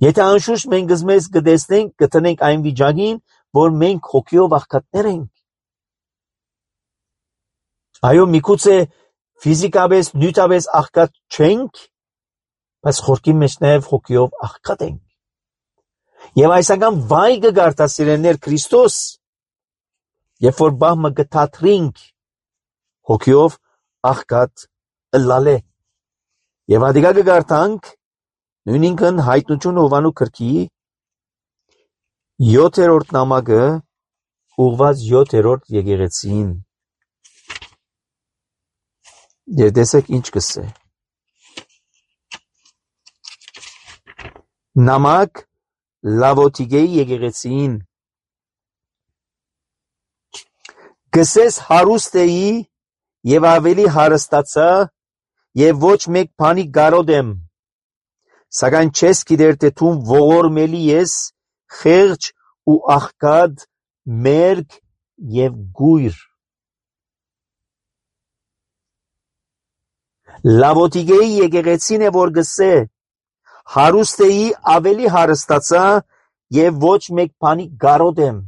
Եթե անշուշտ մենք մեզ կտեսնենք, կտնենք այն վիճակին, որ մենք հոգիով աղքատներ ենք։ Այո, միգուցե ֆիզիկապես, նյութապես աղքատ չենք, բայց խորքի մեջ նաև հոգիով աղքատ ենք։ Եվ այս անգամ վայ կգարտասիրեններ Քրիստոս, երբ որ բահմը կթատրինք հոգիով աղքատ ըլլալե։ Եվ ադիկա կգարտանք նույնինքն հայտնություն Հովանու գրքի յոթերորդ նամակը ուղված յոթերորդ եկեղեցին։ Եվ տեսեք ինչ կսե։ Նամակ Լավոդիկեի եկեղեցին։ Գսես հարուստ էի եւ ավելի հարստացա եւ ոչ մեկ բանի կարոտ եմ, սակայն չես գիտեր թե դու ողորմելի ես, խեղճ ու աղքատ, մերկ եւ գույր։ Լավոդիկեի եկեղեցին է որ գսե հարուստ էի ավելի հարստացա եւ ոչ մեկ բանի կարոտ եմ։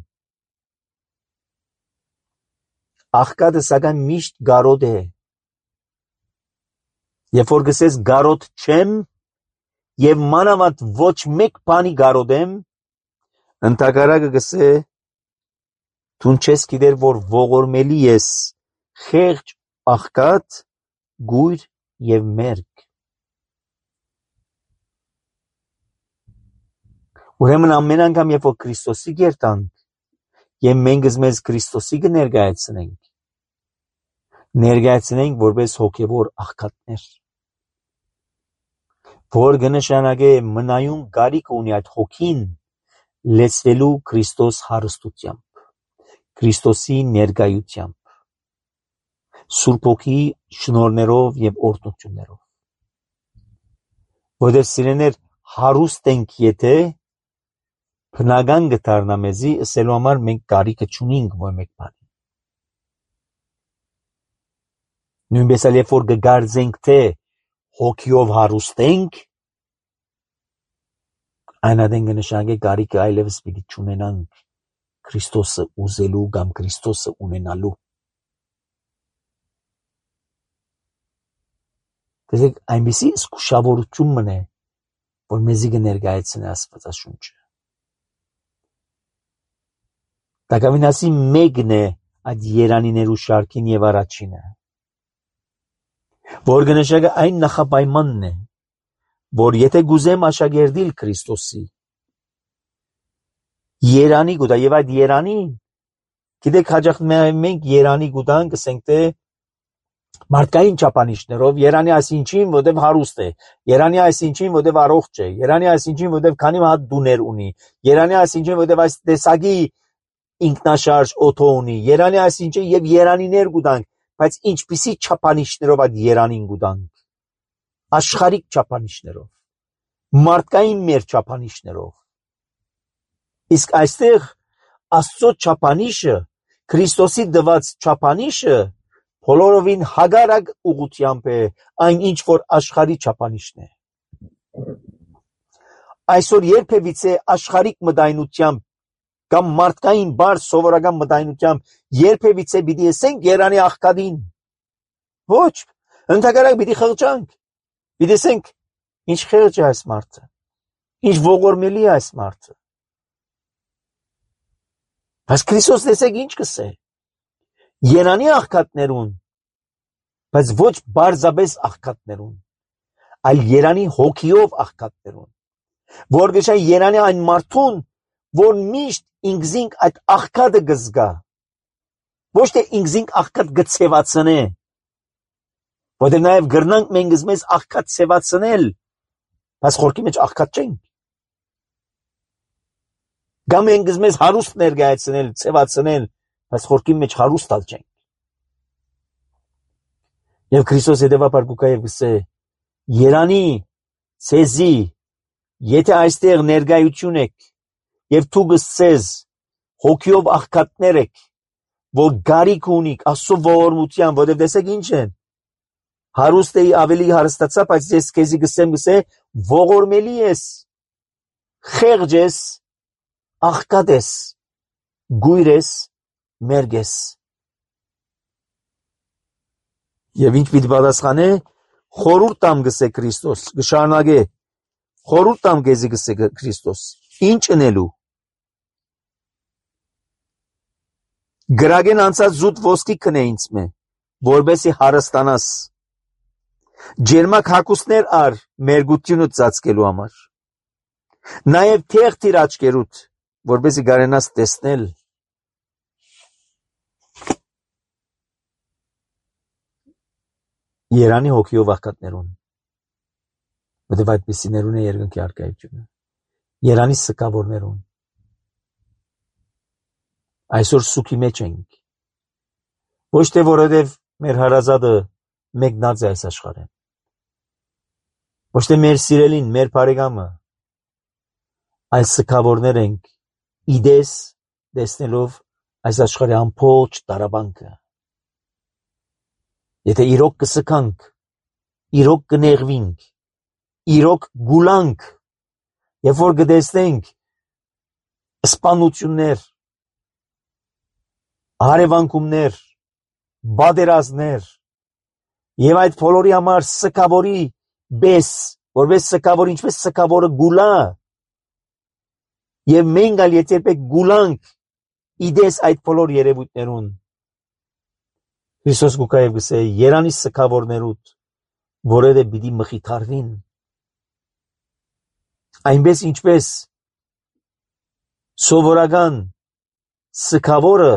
Աղքատը սակայն միշտ կարոտ է։ Երբ որ գսես կարոտ չեմ, եւ մանավանդ ոչ մեկ բանի գարոդեմ, ընդհակառակը գսե դուն չես գիտեր, որ ողորմելի ես խեղճ աղքատ, գույր եւ մերկ։ Ուրեմն ամեն անգամ, երբ որ Քրիստոսի գերտանք եւ մենք մեզ Քրիստոսի կներկայացնենք, ներկայացնենք որպես հոգեվոր աղքատներ, որ կնշանակե մնայուն կարիք ունի այդ հոգին լեցվելու Քրիստոս հարստությամբ, Քրիստոսի ներկայությամբ, Սուրբ Հոգի շնորհներով եւ օրհնություններով, որովհետեւ սիրեներ հարուստ ենք, եթե բնական կդառնա մեզի, ասելու համար մենք կարիքը չունենք ոչ մեկ բանի։ Նույնպես էլ երբ որ կգարձենք, թե հոգիով հարուստ ենք, այն ադեն կնշանակե կարիքը այլևս պիտի չունենանք Քրիստոսը ուզելու կամ Քրիստոսը ունենալու։ Տեսեք, այնպիսի զգուշավորություն մնե, որ մեզի կներկայացնի Աստվածաշունչը։ Տակավին ասի մեկն է այդ երանիներու շարքին եւ առաջինը, որ կնշանակե այն նախապայմանն է, որ եթե գուզեմ աշակերտիլ Քրիստոսի, երանի գուտա եւ այդ երանին, գիտեք հաճախ մենք երանի գուտան կսենք թե մարդկային չափանիշներով, երանի այսինչին, որտեվ հարուստ է, երանի այսինչին, որտեվ առողջ է, երանի այսինչին, որտեվ քանի հատ դուներ ունի, երանի այսինչին, որտեվ այս տեսակի ինքնաշարժ օթո ունի, երանի այսինչին եւ երանիներ գուտանք, բայց ինչպիսի չափանիշներով այդ երանին գուտանք, աշխարհիկ չափանիշներով, մարդկային մեր չափանիշներով, իսկ այստեղ Աստծո չափանիշը, Քրիստոսի դված չափանիշը բոլորովին հագարակ ուղղությամբ է այն ինչ որ աշխարհի չափանիշն է։ Այսօր երբևիցե աշխարհիկ մտայնությամբ կամ մարդկային բարձ սովորական մտայնությամբ երբևիցե պիտի ասենք երանի աղքատին։ Ոչ, ընդհակառակ պիտի խղճանք, պիտի ասենք ինչ խեղճ է այս մարդը, ինչ ողորմելի է այս մարդը։ Բայց Քրիստոս տեսեք ինչ կսե, երանի աղքատներուն, բայց ոչ բարձաբես աղքատներուն, այլ երանի հոգիով աղքատներուն, որ գշան երանի այն մարդուն, որ միշտ ինքզինք այդ աղքատը գզգա, ոչ թե ինքզինք աղքատ գցևացնե, որտեղ նաև գրնանք մենք մեզ աղքատ ցևացնել, բայց խորքի մեջ աղքատ չենք։ Կամ մենք մեզ հարուստ ներկայացնել, ցևացնել, բայց խորքի մեջ հարուստալ չենք։ Եվ Քրիստոս հետևաբար կուկա եւ գսե. երանի ցեզի, եթե այստեղ ներկայություն եք եւ դու գսես հոգիով աղքատներ եք, որ գարիք ունիք Աստծո ողորմության, որովհետեւ տեսեք ինչ են, հարուստ էի ավելի հարստացա, բայց ես քեզի գսեմ գսե ողորմելի ես, խեղճ ես, աղքատ ես, գույր ես, մերկ ես։ Եվ ինչ պիտի պատասխանե, խորհուրդ տամ գսե Քրիստոս, գշարունակե, խորհուրդ տամ քեզի գսե Քրիստոս, ինչ ընելու։ Գրագեն անցած զուտ ոսկի քնե ինձ մե, որբեսի հարստանաս, ջերմակ հագուստներ ար մերգությունը ծածկելու համար, նաև թեղ թիր աչքերուդ, որբեսի գարենաս տեսնել։ Երանի հոգիով աղքատներուն, որտեվ այդպիսիներուն է երկնքի առկայությունը, երանի սկավորներուն, այսօր սուքի մեջ ենք, ոչ թե որովհետև մեր հարազատը մեկնած է այս աշխարհին, ոչ թե մեր սիրելին, մեր բարեկամը, այլ սկավորներ ենք, իդես տեսնելով այս աշխարհի ամբողջ տարաբանքը։ Եթե իրոք կսկանք, իրոք կնեղվինք, իրոք գուլանք, երբ որ կտեսնենք սպանություններ, հարևանքումներ, բادرազներ, եւ այդ բոլորի համար սկավորի բես որպես սքավոր, ինչպես սքավորը գուլա, եւ մենք ալ եթե երբեք գուլանք իդես այդ բոլոր երևույթներուն, Քրիստոս գուկա եւ գսե երանի սքավորներուտ, որեդե պիտի մխիթարվին, այնպես ինչպես սովորական սքավորը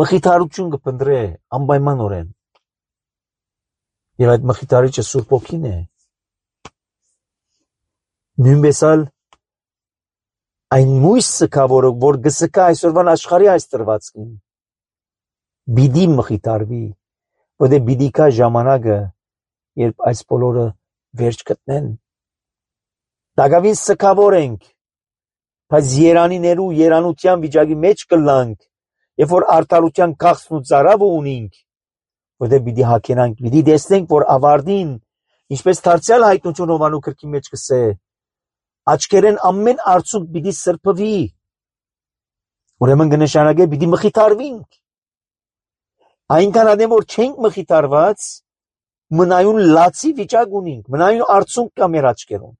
մխիթարություն կփնտրե անպայմանորեն, եւ այդ մխիթարիչը Սուրբ Օքին է, նույնպես ալ այն մույս սքավորը, որ գսկա այսօրվան աշխարհի այս տրվածքին, պիտի մխիթարվի, որտեղ պիտի կա ժամանակը, երբ այս բոլորը վերջ գտնեն, դակավին սքավոր ենք, բայց երանիներու երանության վիճակի մեջ կլանք, երբ որ արդարության քաղցն ու ծարավը ունենք, որտեղ պիտի հագենանք, պիտի տեսնենք, որ ավարտին, ինչպես դարձյալ հայտնություն Հովանու գրքի մեջ կսե, աչքերեն ամեն արցունք պիտի սրբվի, ուրեմն կնշանակե պիտի մխիթարվենք, այնքան ադեմ որ չենք մխիթարված, մնայուն լացի վիճակ ունենք, մնայուն արցունք կա մեր աչքերում,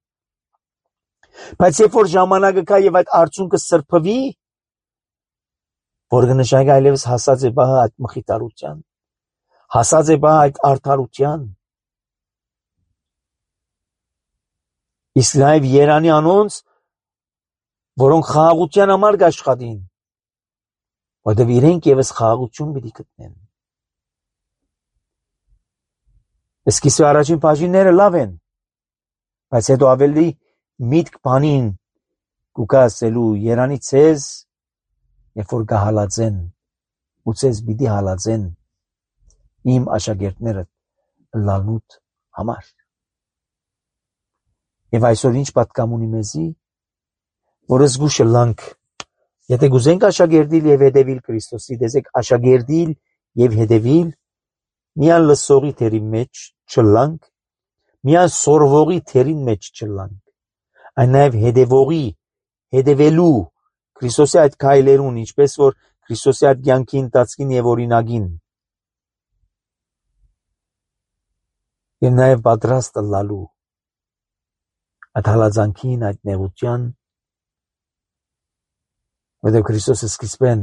բայց երբ որ ժամանակը կա եւ այդ արցունքը սրբվի, որ կնշանակե այլևս հասած է բահը այդ մխիթարության, հասած է բահը այդ արդարության, իսկ նաեւ երանի անոնց, որոնք խաղաղության համար կաշխատին, որտեղ իրենք եւս խաղաղություն պիտի գտնեն։ Սկիզբի առաջին բաժինները լավ են, բայց հետո ավելի միտք բանին կուկա ասելու երանի ցեզ, երբ որ կհալածեն, ու ցեզ պիտի հալածեն իմ աշակերտները լալնուտ համար։ Եվ այսօր ինչ պատկամ ունի մեզի, որ զգուշը լանք, եթե գուզենք աշակերտիլ եւ հետևիլ Քրիստոսի, դեզեք աշակերտիլ եւ հետևիլ, միան լսողի թերի մեջ չլանք, միան սորվողի թերին մեջ չլանք, այն նաեւ հետևողի, հետևելու Քրիստոսի այդ քայլերուն, ինչպես որ Քրիստոսի այդ կյանքի ընթացքին եւ օրինակին, եւ նաեւ պատրաստ լալու այդ հալածանքին, այդ նեղության, որտեղ Քրիստոսը սկիզբեն,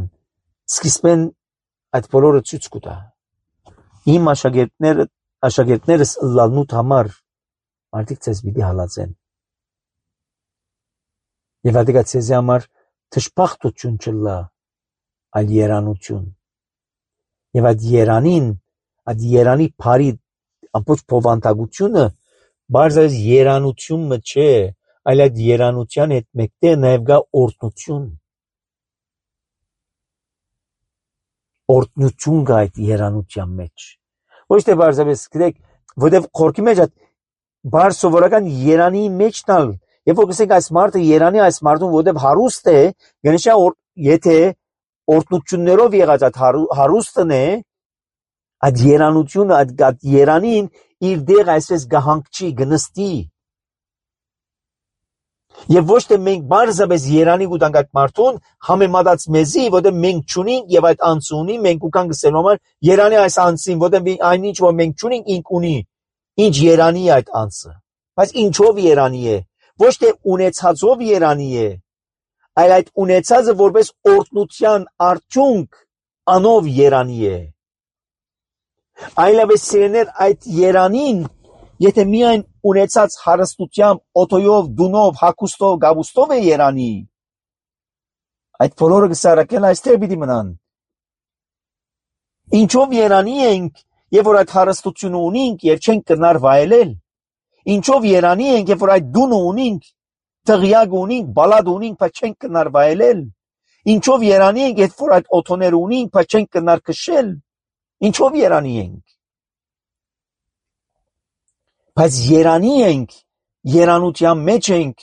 սկիզբեն այդ բոլորը ցույց կտա։ Իմ աշակերտները, աշակերտներս լալնուտ համար մարդիկ ցեզ պիտի հալածեն։ Եվ ադիգա ցեզի համար թշփախտություն չլա, այլ երանություն։ Եվ այդ երանին, այդ երանի բարի ամբողջ փոխանցությունը բարձր երանությունը չէ, այլ այդ երանության հետ մեկտեղ նաև կա օրհնություն։ Օրհնություն կա այդ երանության մեջ։ Ոչ թե բարձրապես գիտեք, որտեղ խորքի մեջ այդ բարձ սովորական երանի մեջն ալ, երբ որ գսենք այս մարդը երանի այս մարդուն, որտեղ հարուստ է, գնշա եթե օրհնություններով եղած այդ հարուստն է, այդ երանությունը, այդ երանին իր դեղ այսպես գահանքչի, գնստի։ Եվ ոչ թե մենք բարձրապես երանի գուտանք այդ մարդուն, համեմատած մեզի, որտեղ մենք չունենք եւ այդ անձը ունի, մենք ուքան գսելու համար երանի այս անձին, որտեղ այնինչ որ մենք չունենք, ինք ունի, ինչ երանի է այդ անձը։ Բայց ինչով երանի է, ոչ թե ունեցածով երանի է, այլ այդ ունեցածը որպես օրհնության արդյունք անով երանի է։ Այլապես սիրեներ այդ երանին, եթե միայն ունեցած հարստությամբ, օթոյով, դունով, հագուստով, գավուստով է երանի, այդ բոլորը գսարակել այստեղ պիտի մնան։ Ինչով երանի ենք, երբ որ այդ հարստությունը ունենք եւ չենք կրնար վայելել։ Ինչով երանի ենք, երբ որ այդ դունը ունենք, տղյակ ունենք, բալադ ունենք, բայց չենք կրնար վայելել։ Ինչով երանի ենք, երբ որ այդ օթոները ունենք, բայց չենք կրնար քշել։ Ինչով երանի ենք։ Բայց երանի ենք, երանության մեջ ենք,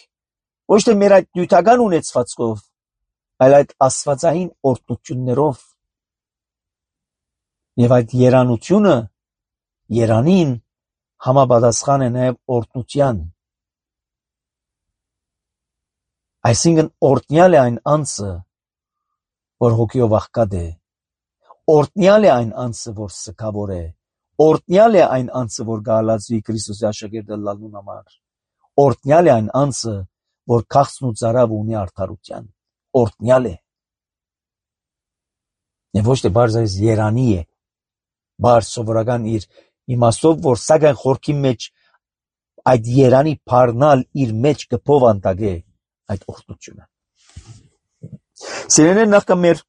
ոչ թե մեր այդ նյութական ունեցվածքով, այլ այդ աստվածային օրհնություններով։ Եվ այդ երանությունը, երանին համապատասխան է նաև օրհնության։ Այսինքն օրհնյալ է այն անձը, որ հոգիով աղքատ է, օրհնյալ է այն անձը, որ սգավոր է, օրտնյալ է այն անձը, որ գալացվի Քրիստոսի աշակերտը լալուն համար, օրտնյալ է այն անձը, որ քաղցն ու ծարավ ունի արդարության, օրտնյալ է, եւ ոչ թե բարձրայս երանի է, բարձ սովորական իր իմաստով, որ սակայն խորքի մեջ այդ երանի փառնալ իր մեջ կփովանտակ է այդ օրտնությունը։ Սիրելիներ, նախքան մեր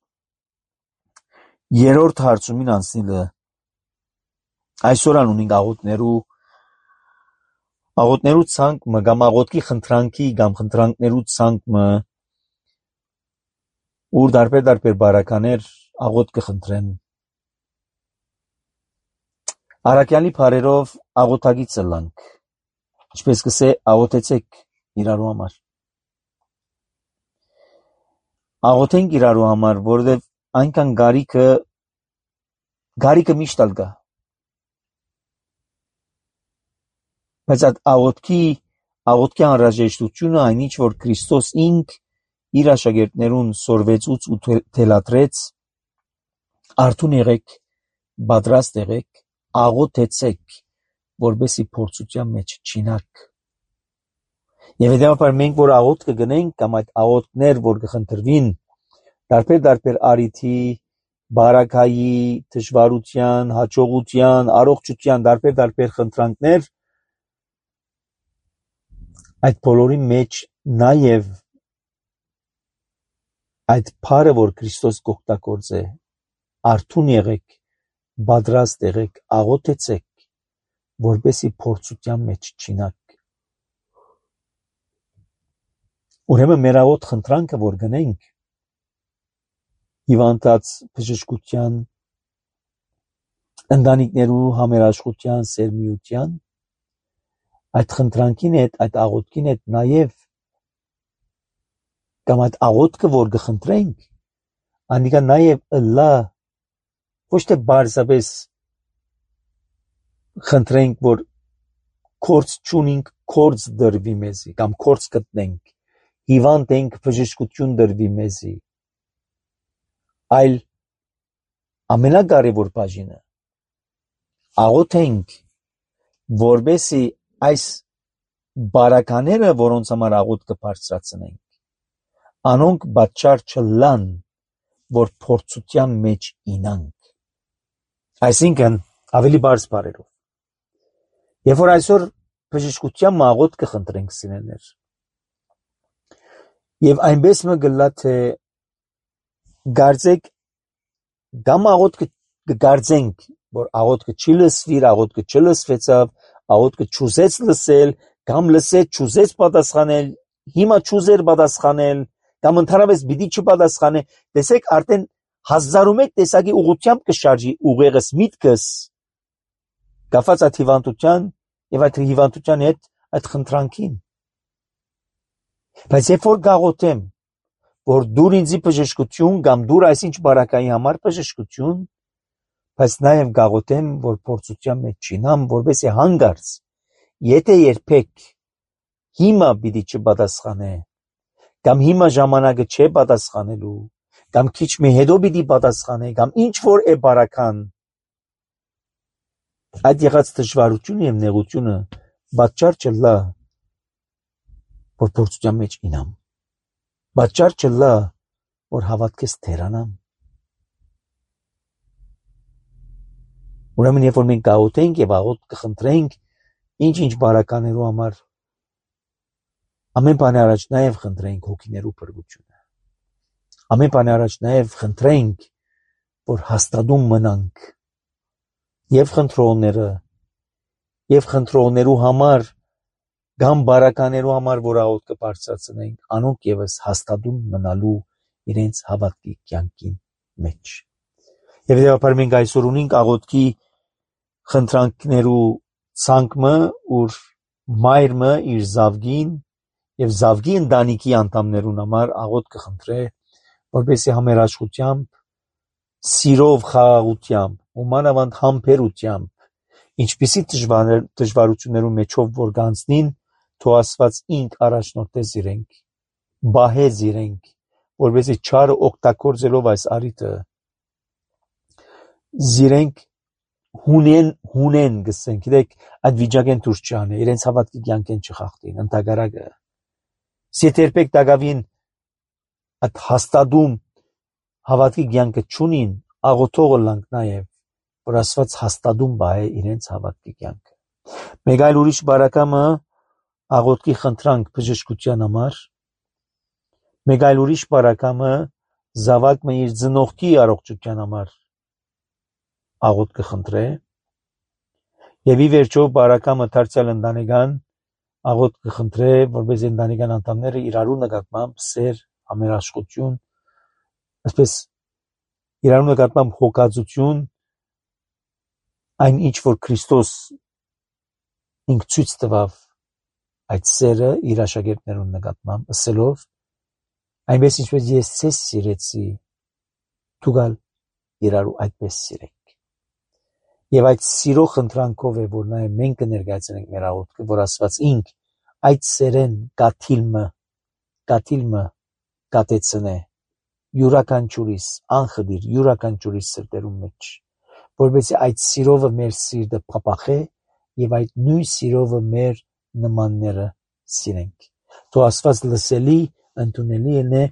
երրորդ հարցումին անցնելը, այսօր անունին աղոթներու աղոթներու ցանկը կամ աղոթքի խնդրանքի կամ խնդրանքներու ցանկը ուր դարբեր դարբեր բարականեր աղոթ կխնդրեն առաքյալի բարերով աղոթագիծը լանք, ինչպես կսե աղոթեցեք իրարու համար, աղոթենք իրարու համար, որովհետև այնքան գարիքը գարիքը միշտ ալ գա, բայց այդ աղոթքի աղոթքի անհրաժեշտությունը այն ինչ որ Քրիստոս ինք իր աշակերտներուն սորվեցուց ու թելադրեց, արթուն եղեք, պատրաստ եղեք, աղոթեցեք, որբեսի փորձության մեջ չինաք։ Եվ հետևաբար մենք որ աղոթ կգնենք կամ այդ աղոթքներ որ կխնդրվին դարբեր դարբեր արիթի, բարակայի, դժվարության, հաջողության, առողջության դարբեր դարբեր խնդրանքներ, այդ բոլորի մեջ նաև այդ փառը որ Քրիստոս կօգտագործ է, արթուն եղեք, պատրաստ եղեք, աղոթեցեք, որբեսի փորձության մեջ չինաք։ Ուրեմն մեր աղոթ խնդրանքը որ գնենք հիվանդած բժշկության, ընտանիքներու համերաշխության, սերմիության, այդ խնդրանքին հետ, այդ աղոթքին հետ նաև կամ այդ աղոթքը որ կխնդրենք, անիկա նաև ըլլա ոչ թե բարձրապես խնդրենք, որ կորց չունենք, կորց դրվի մեզի, կամ կորց գտնենք, հիվանդ ենք, բժշկություն դրվի մեզի, այլ ամենակարևոր բաժինը աղոթենք, որբեսի այս բարակաները, որոնց համար աղոթ կբարձրացնենք, անոնք պատճառ չլան, որ փորձության մեջ ինանք։ Այսինքն ավելի բարձ բառերով, երբ որ այսօր բժշկության աղոթ կխնդրենք սիրելիներ, եւ այնպես մը գլա թե գարձեք կամ աղոթ կգարձենք, որ աղոթքը չի լսվիր, աղոթքը չլսվեցավ, աղոթքը չուզեց լսել, կամ լսեց չուզեց պատասխանել, հիմա չուզեր պատասխանել, կամ ընդհանրապես պիտի չպատասխանե, տեսեք արդեն հազարում մեկ տեսակի ուղղությամբ կշարժի ուղեղս միտքս կապված այդ հիվանդության եւ այդ հիվանդության հետ այդ խնդրանքին։ Բայց երբ որ գաղոթեմ, որ դուր ինձի բժշկություն կամ դուր այսինչ բարակայի համար բժշկություն, բայց նաեւ գաղոթեմ, որ փորձության մեջ չինամ, որովհետեւ հանգարց, եթե երբեք հիմա պիտի չպատասխանե, կամ հիմա ժամանակը չէ պատասխանելու, կամ քիչ մի հետո պիտի պատասխանե, կամ ինչ որ է բարական, այդ եղած դժվարությունը եւ նեղությունը պատճառ չլա, որ փորձության մեջ ինամ, պատճառ չլա, որ հավատքս թերանամ։ Ուրեմն երբ որ մենք գաղութենք եւ աղոթ կխնդրենք ինչ-ինչ բարականերու համար, ամեն բանի առաջ նաեւ խնդրենք հոգիներու փրկությունը, ամեն բանի առաջ նաեւ խնդրենք, որ հաստատում մնանք եւ խնդրողները եւ խնդրողներու համար կամ բարականերու համար, որ աղոթ կբարձրացնենք, անոնք եւս հաստատում մնալու իրենց հավատքի կյանքին մեջ։ Եվ դեպի մենք այսօր ունենք աղոթքի խնդրանքներու ցանկը, ուր մայրը իր զավգին եւ զավգի ընտանիքի անդամներուն համար աղոթ կխնդրե, որպեսզի համերաշխությամբ, սիրով, խաղաղությամբ, ու մանավանդ համբերությամբ, ինչպիսի դժվարություններու մեջով որ գանցնին, թող Աստված ինք առաջնորդեց իրենք, բահեց իրենք, որպեսզի չարը օգտագործելով այս առիթը, զիրենք հունեն հունեն գսեն, գիտեք, այդ վիճակեն դուրս չան, իրենց հավատքի կյանքեն չխախտին, ընդհակառակը։ Սեթերպեք դակավին այդ հաստատում հավատքի կյանքը չունին, աղոթողը լանք նաև, որ Աստված հաստատում բայ իրենց հավատքի կյանքը։ Մեկ այլ ուրիշ բարակամը աղոթքի խնդրանք բժշկության համար, մեկ այլ ուրիշ բարակամը զավակը իր ծնողքի առողջության համար աղոթ կխնդրե, եւ ի վերջո բարակամը դարձյալ ընտանեկան աղոթ կխնդրե, որպես ընտանեկան անդամները իրարու նկատմամբ սեր, համերաշխություն, այսպես իրարու նկատմամբ հոգացություն, այն ինչ որ Քրիստոս ինք ցույց տվավ այդ սերը իր աշակերտներուն նկատմամբ, ասելով, այնպես ինչպես ես ցես սիրեցի, դուք իրարու այդպես սիրեք։ Եվ այդ սիրո խնդրանքով է, որ նաև մենք կներկայացնենք մեր աղոթքը, որ Աստված ինք այդ սերեն կաթիլմը, կաթիլմը կատեցնե, յուրաքանչյուրիս, անխդիր, յուրաքանչյուրիս սրտերում մեջ, որովհետեւ այդ սիրովը մեր սիրտը փափախե եւ այդ նույն սիրովը մեր նմանները սիրենք։ Թող Աստված լսելի, ընդունելի է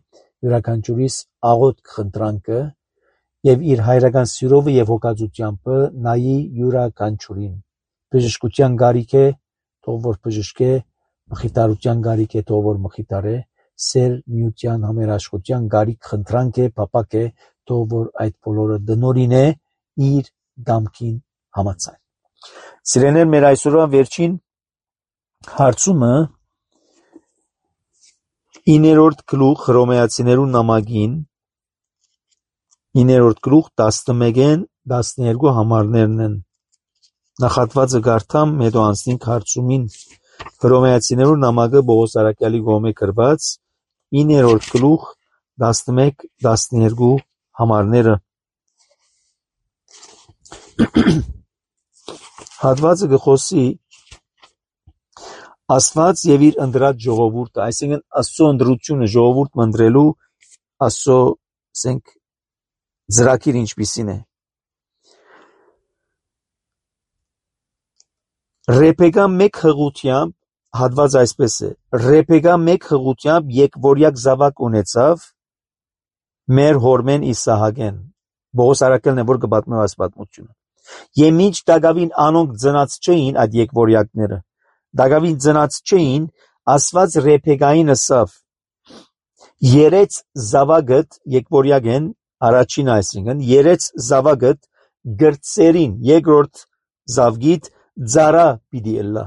յուրաքանչյուրիս աղոթք խնդրանքը եւ իր հայրական սիրովը եւ հոգացությամբ նայի յուրաքանչյուրին։ Բժշկության գարիք է, թող որ բժշկե, մխիթարության գարիք է, թող որ մխիթարե, սեր միության համերաշխության գարիք խնդրանք է, փապակ է, թող որ այդ բոլորը դնորին է իր դամքին համաձայն։ Սիրեներ, մեր այսօրվա վերջին հարցումը իններորդ գլուխ Հռոմեացիներու նամակին իններորդ գլուխ տասնմեկեն տասներկու համարներն են։ Նախատվածը գարթամ, հետո անցնենք հարցումին Հռոմեացիներու նամակը Պողոս Արաքյալի կողմէ գրված իններորդ գլուխ տասնմեկ տասներկու համարները։ Հատվածը գխոսի Աստված եւ իր ընդրած ժողովուրդը, այսինքն Աստծո ընդրությունը ժողովուրդ մնդրելու Աստծո ասենք ծրագիր ինչպիսին է։ Ռեփեկա մեկ հղությամբ հատված այսպես է. Ռեփեկա մեկ հղությամբ եկվորյակ զավակ ունեցավ մեր հորմեն Իսահակեն։ Պողոս Արաքյալն է որ կպատմի այս պատմությունը։ Եվ մինչ Դագավին անոնք ծնած չէին այդ եկվորյակները։ Դագավին ծնած չէին, Աստված Ռեփեկային ասավ. երեց զավակդ եկվորյակ են առաջին այսինքն երեց զավակդ գրծերին երկրորդ զավգիտ ծառա պիտի ելա։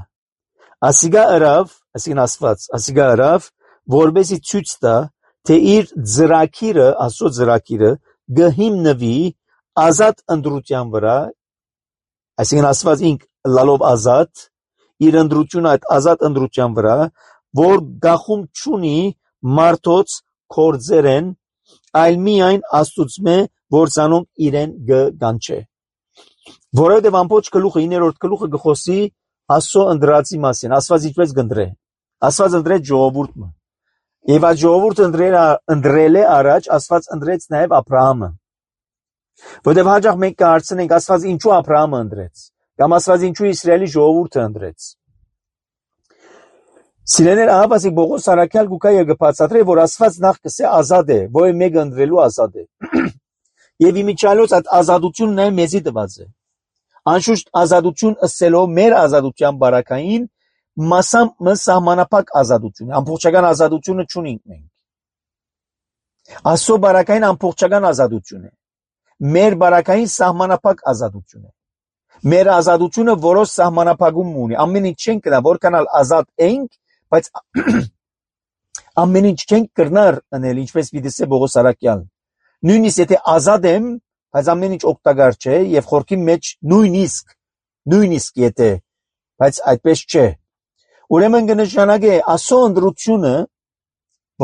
Ասիգա արավ, այսինքն Աստված, ասիգա արավ, որբեսի ցույց տա, թե իր ծրագիրը, Աստծո ծրագիրը գհիմնվի ազատ ընդրության վրա, այսինքն Աստված ինք լալով ազատ, իր ընդրությունը այդ ազատ ընդրության վրա, որ գախում չունի մարդոց կորձերեն, այլ միայն Աստուծմե, որ ցանոնք իրեն գանչե։ Որովհետև ամբողջ գլուխը, իններորդ գլուխը գխոսի Աստծո ընդրածի մասին, Աստված ինչպես կընտրե։ Աստված ընդրեց ժողովուրդը։ Եվ այդ ժողովուրդը ընդրել է առաջ, Աստված ընդրեց նաև Աբրահամը։ Որովհետև հաճախ մենք կհարցնենք Աստված ինչու Աբրահամը ընդրեց, կամ Աստված ինչու Իսրայելի ժողովուրդը ընդրեց։ Սիրելիներ, ահա Պողոս Արաքյալ գուկա եւ գբացատրե, որ Աստված նախ կսե ազատ է, որ մեկը ընդրելու ազատ է։ Եվ իմիջիալոց այդ ազատությունն է մեզի տված է։ Անշուշտ ազատություն ըսելով մեր ազատության բարակային մասամբ մը սահմանափակ ազատություն է, ամբողջական ազատությունը չունենք մենք։ Աստծո բարակային ամբողջական ազատություն է։ Մեր բարակային սահմանափակ ազատություն է։ Մեր ազատությունը որոշ սահմանափակում ունի։ Ամեն ինչ չենք կնա, որքանալ ազատ ենք, բայց ամեն ինչ չենք կրնար անել, ինչպես պիտի ասե Պողոս Արաքյալն։ Նույնիսկ եթե ազատ եմ, բայց ամեն ինչ օգտակար չէ եւ խորքի մեջ նույնիսկ նույնիսկ եթե, բայց այդպես չէ։ Ուրեմն կնշանակե Աստծո ընդրությունը,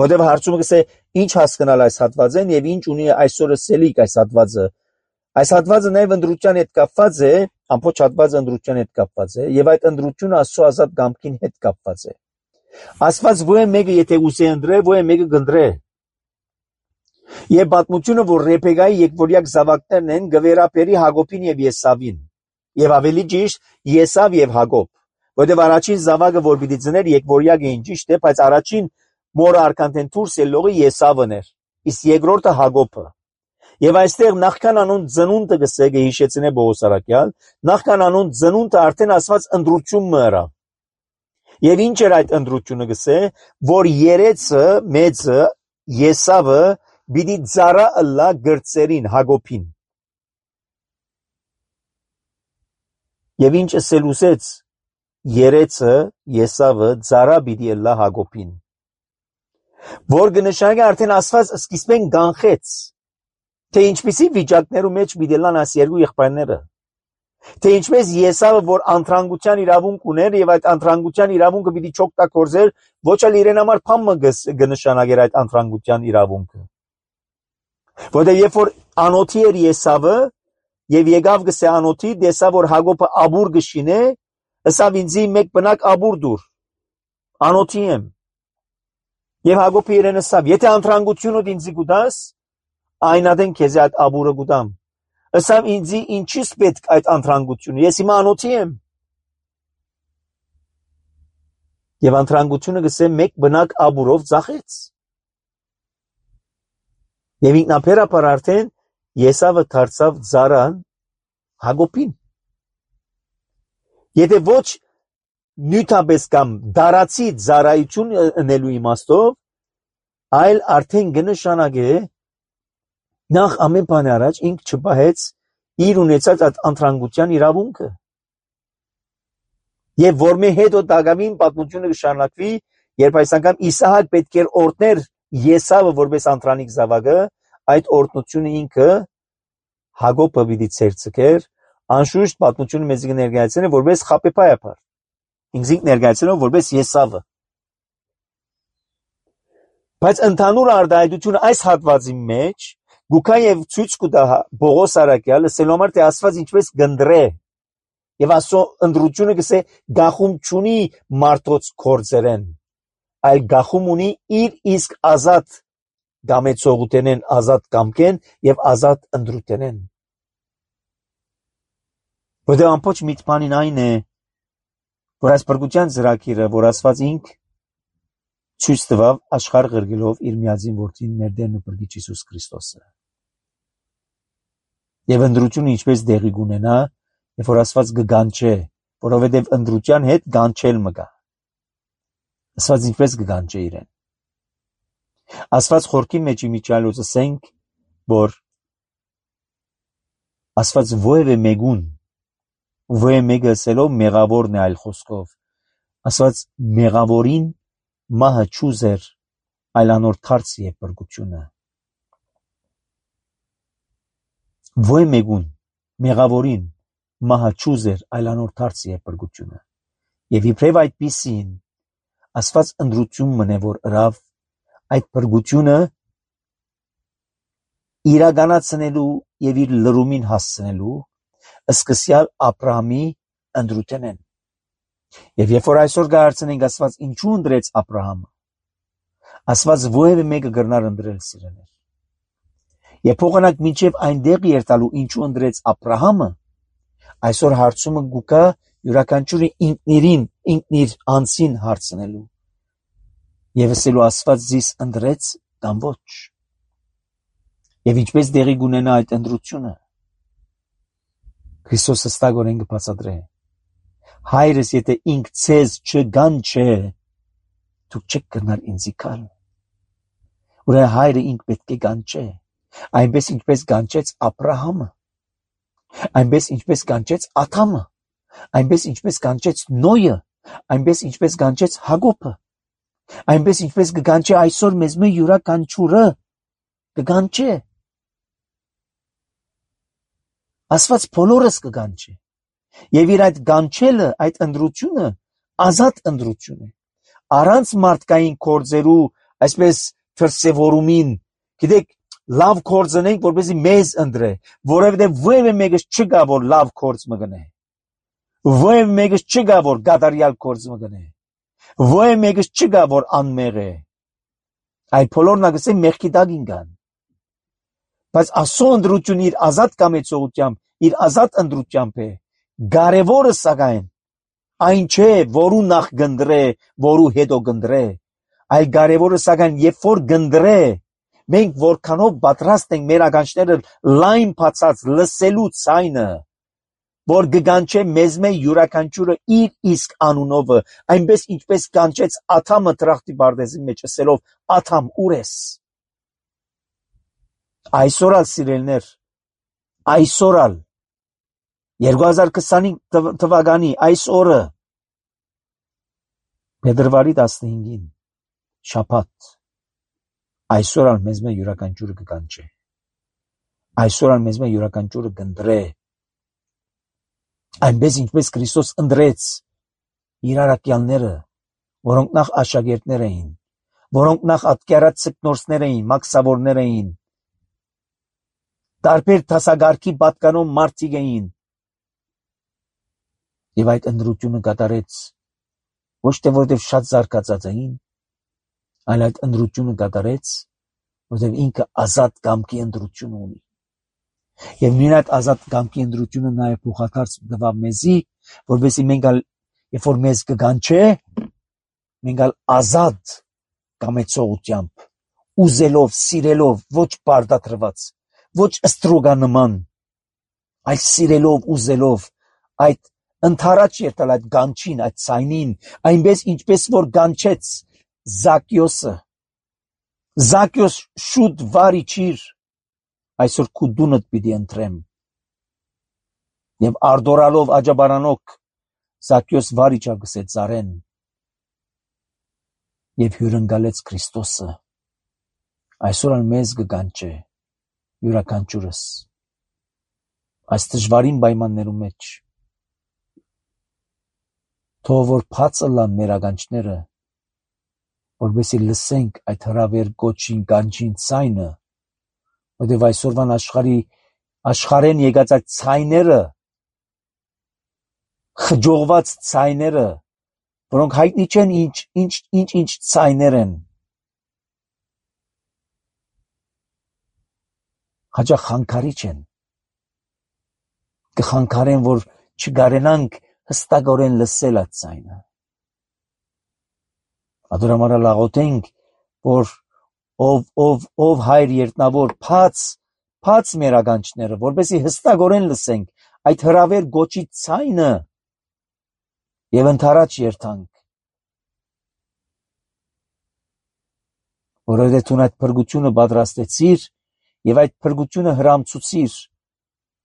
որովհետեւ հարցումը կսե ինչ հասկանալ այս հատվածեն եւ ինչ ունի այսօր ասելիք այս հատվածը։ Այս հատվածը նաեւ ընդրության հետ կապված է, ամբողջ հատվածը ընդրության հետ կապված է եւ այդ ընդրությունը Աստծո ազատ կամքին հետ կապված է։ Աստված ո՞ե մեկը եթե ուզե ընդրե, ո՞ե մեկը կընդրե։ Եվ պատմությունը, որ Ռեփեկայի եկվորյակ զավակներն են, գվերապերի Հակոբին եւ Եսավին։ Եվ ավելի ճիշտ Եսավ եւ Հակոբ, որտեղ առաջին զավակը որ պիտի ծներ եկվորյակ էին ճիշտ է, բայց առաջին մորը արքանտեն դուրս ելողը Եսավն էր, իսկ երկրորդը Հակոբը։ Եվ այստեղ նախքան անուն ծնունդը գսե գհիշեցնե Պողոս առաքյալ, նախքան անուն ծնունդը արդեն ասված ընտրություն մըրա։ Եվ ինչ էր այդ ընտրությունը գսե, որ երեցը մեծը Եսավը պիտի ծառա ըլլա գրծերին Հակոբին։ Եվ ինչ ասել ուսեց, երեցը Եսավը ծառա պիտի ըլլա Հակոբին, որ կնշանակի արդեն ասված սկիզբեն կանխեց, թե ինչպիսի վիճակներու մեջ պիտի լան այս երկու եղբայրները, թե ինչպես Եսավը, որ անտրանգության իրավունք ուներ եւ այդ անտրանգության իրավունքը պիտի չօգտագործեր, ոչ էլ իրեն համար փամը կնշանակեր այդ անտրանգության իրավունքը, որտեղ երբ որ անոթի էր Եսավը եւ եկավ գսե անոթի, տեսա որ Հակոբը աբուր գշինե, ըսավ ինձի մեկ բնակ աբուր դուր, անոթի եմ, եւ Հակոբը իրեն ըսավ, եթե անտրանգությունդ ինձի գուտաս, այն ադեն քեզ այդ աբուրը գուտամ, ըսավ ինձի ինչիս պետք այդ անտրանգությունը, ես հիմա անոթի եմ, եւ անտրանգությունը գսե մեկ բնակ աբուրով ծախեց, եւ ինքնաբերաբար արդեն Եսավը դարձավ ծառան Հակոբին։ Եթե ոչ նյութապես կամ դարացի ծառայություն ընելու իմաստով, այլ արդեն կնշանակե նախ ամեն բան առաջ ինք չպահեց իր ունեցած այդ անտրանգության իրավունքը։ Եվ որ մի հետո դակավին պատմությունը կշարունակվի, երբ այս անգամ Իսահակ պետք էր օրհներ Եսավը որպես անտրանիկ զավակը, այդ օրհնությունը ինքը Հակոբը պիտի ցերցկեր, անշուշտ պատմությունը մեզ կներկայացնի որպես խաբեբայապար, ինքնին ներկայացնելով որպես Եսավը։ Բայց ընդհանուր արտահայտությունը այս հատվածի մեջ գուքա եւ ցույց կտա Պողոս առաքյալը սելոմար թե ասված ինչպես գնդրե եւ ասո ընդրությունը գսե գախում չունի մարդոց կորձերեն, այլ գախում ունի իր իսկ ազատ գամեցողութենեն, ազատ կամքեն եւ ազատ ընդրութենեն։ Որտեղ ամբողջ միտքանին այն է, որ այս բրգության ծրագիրը, որ ասված ինք ցույց տվավ աշխարհ ղրգելով իր միածին որդին մեր Տերն ու Փրկիչ Հիսուս Քրիստոսը։ Եվ ընդրությունը ինչպես դեղի կունենա, երբ որ ասված կգանչե, որովհետև ընդրության հետ գանչել մգա։ Ասված ինչպես կգանչե իրեն։ Ասված խորքի մեջ իմիջալոց ասենք, որ ասված ովևէ մեկուն, ովևէ մեկը ասելով մեղավորն է այլ խոսքով, ասված մեղավորին մահը չուզեր, այլ անոր թարց է բրգությունը։ Ովևէ մեկուն, մեղավորին մահը չուզեր, այլ անոր թարց է բրգությունը։ Եվ իբրև այդպիսին, ասված ընդրություն մնե, որ ըրավ այդ բրգությունը իրականացնելու եւ իր լրումին հասցնելու սկսյալ Աբրահամի ընդրութենեն։ Եվ երբ որ այսօր գարցնենք ասված ինչու ընդրեց Աբրահամը, ասված ովևէ մեկը գրնար ընդրել սիրեներ։ Եվ փոխանակ մինչև այնտեղ երթալու ինչու ընդրեց Աբրահամը, այսօր հարցումը գուկա յուրաքանչյուրի ինքնիրին, ինքնիր անձին հարցնելու։ Եվ ասելու ասված զիս ընդրեց կամ ոչ։ Եվ ինչպես դեղի գունենա այդ ընդրությունը։ Քրիստոսը ստագորեն կբացատրե։ Հայրս եթե ինք ցեզ չգանչե, դուք չեք կրնար ինձի գալ։ Ուրեմն հայրը ինք պետք է գանչե, այնպես ինչպես գանչեց Աբրահամը, այնպես ինչպես գանչեց Ադամը, այնպես ինչպես գանչեց Նոյը, այնպես ինչպես գանչեց Հակոբը, այնպես ինչպես կգանչե այսօր մեզ մե յուրաքանչյուրը կգանչե։ Ասված բոլորս կգանչե։ Եվ իր այդ գանչելը, այդ ընդրությունը ազատ ընդրություն է։ Առանց մարդկային կորձերու, այսպես դրսևորումին, գիտեք, լավ կորձնենք, որպեսզի մեզ ընդրե, որովհետև ովևէ մեկը չկա, որ լավ կորձ մգնե։ Ովևէ մեկը չկա, որ գադարյալ կորձ մգնե։ Ովևէ մեկը չկա, որ անմեղ է։ Այդ բոլորն ագսե մեղքի տակին կան։ Բայց ասո ընդրությունը իր ազատ կամեցողությամբ, իր ազատ ընդրությամբ է, Կարևորը սակայն այն չէ, որու նախ գնդրե, որու հետո գնդրե, այլ կարևորը սակայն երբ որ գնդրե, մենք որքանով պատրաստ ենք մեր ականջները լայն բացած լսելու ցայնը, որ գգանչե մեզ մե յուրաքանչյուրը իր իսկ անունովը, այնպես ինչպես կանչեց Աթամը դրախտի բարձի մեջ ասելով, Աթամ ուր ես։ Այսօր ալ սիրելներ, այսօր ալ երկու հազար քսանհինգ թվականի այս օրը փետրվարի տասնհինգին շաբաթ այսօր ալ մեզ մե յուրաքանչյուրը կկանչե, այսօր ալ մեզ մե յուրաքանչյուրը կընտրե, այնպես ինչպես Քրիստոս ընտրեց իր առաքյալները, որոնք նախ աշակերտներ էին, որոնք նախ ատկյարած սկնորսներ էին, մաքսավորներ էին, տարբեր դասակարգի պատկանող մարդիկ էին, եւ այդ ընտրությունը կատարեց ոչ թե որովհետեւ շատ զարգացած էին, այլ այդ ընտրությունը կատարեց, որովհետեւ ինքը ազատ կամքի ընտրություն ունի։ Եվ նույն այդ ազատ կամքի ընտրությունը նաեւ փոխադարձ տվավ մեզի, որովհետեւ մենք ալ երբ որ մեզ կգանչե, մենք ալ ազատ կամեցողությամբ, ուզելով, սիրելով, ոչ բարդատրված, ոչ ստրուգանման, այլ սիրելով, ուզելով այդ ընդառաջ երթալ այդ գանչին, այդ ցայնին, այնպես ինչպես որ գանչեց Զաքիոսը։ Զաքիոս շուտ վարի չիր, այսօր քու դունդ պիտի ընտրեմ։ Եվ արդորալով աջաբարանոք Զաքիոս վարի չավ գսեց ծառեն եւ հյուրընկալեց Քրիստոսը։ Այսօր ալ մեզ կգանչե յուրաքանչյուրս այս դժվարին պայմաններում մեջ, թող որ բացը լան մեր ականջները, որպեսզի լսենք այդ հրավեր գոչին կանչին ցայնը, որտեղ այսօրվան աշխարհի աշխարհեն եկած այդ ցայները, խջողված ցայները, որոնք հայտնի չեն ինչ ինչ ինչ ինչ ցայներ են, հաճախ խանգարիչ են, կխանգարեն, որ չգարենանք հստակորեն լսել այդ ցայնը։ Ադորամարալ աղոթենք, որ ով ով ով հայր երտնավոր փած փած մեր ականջները, որպեսզի հստակորեն լսենք այդ հրավեր գոչի ցայնը եւ ընդառաջ երթանք, որովհետեւ դու այդ փրկությունը պատրաստեցիր եւ այդ փրկությունը հրամցուցիր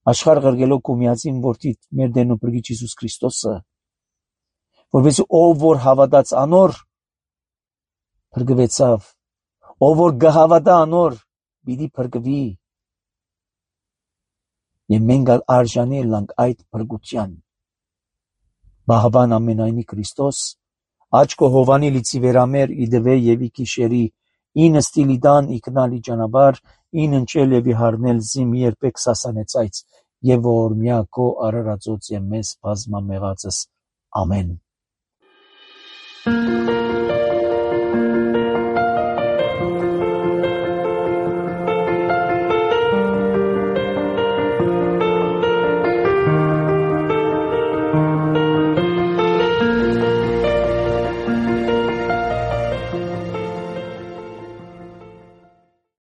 աշխարհ ղրգելով քո միածին որդի մեր Տերն ու Փրկիչ Հիսուս Քրիստոսը, որպեսզի ով որ հավատաց անոր փրկվեցավ, ով որ գհավատա անոր պիտի փրկվի, եւ մենք արժանի ենք այդ փրկության։ Բահավան ամենայնի Քրիստոս, աչքո հովանի լիցի վերամեր իդվե եւ իքիշերի ինը ստիլիդան իքնալի ճանապար ին ընչել եւ իհարնել զիմ երբեք սասանեցայց եւ ողորմյա քո արարածոց եւ մեզ բազմամեղածս ամեն։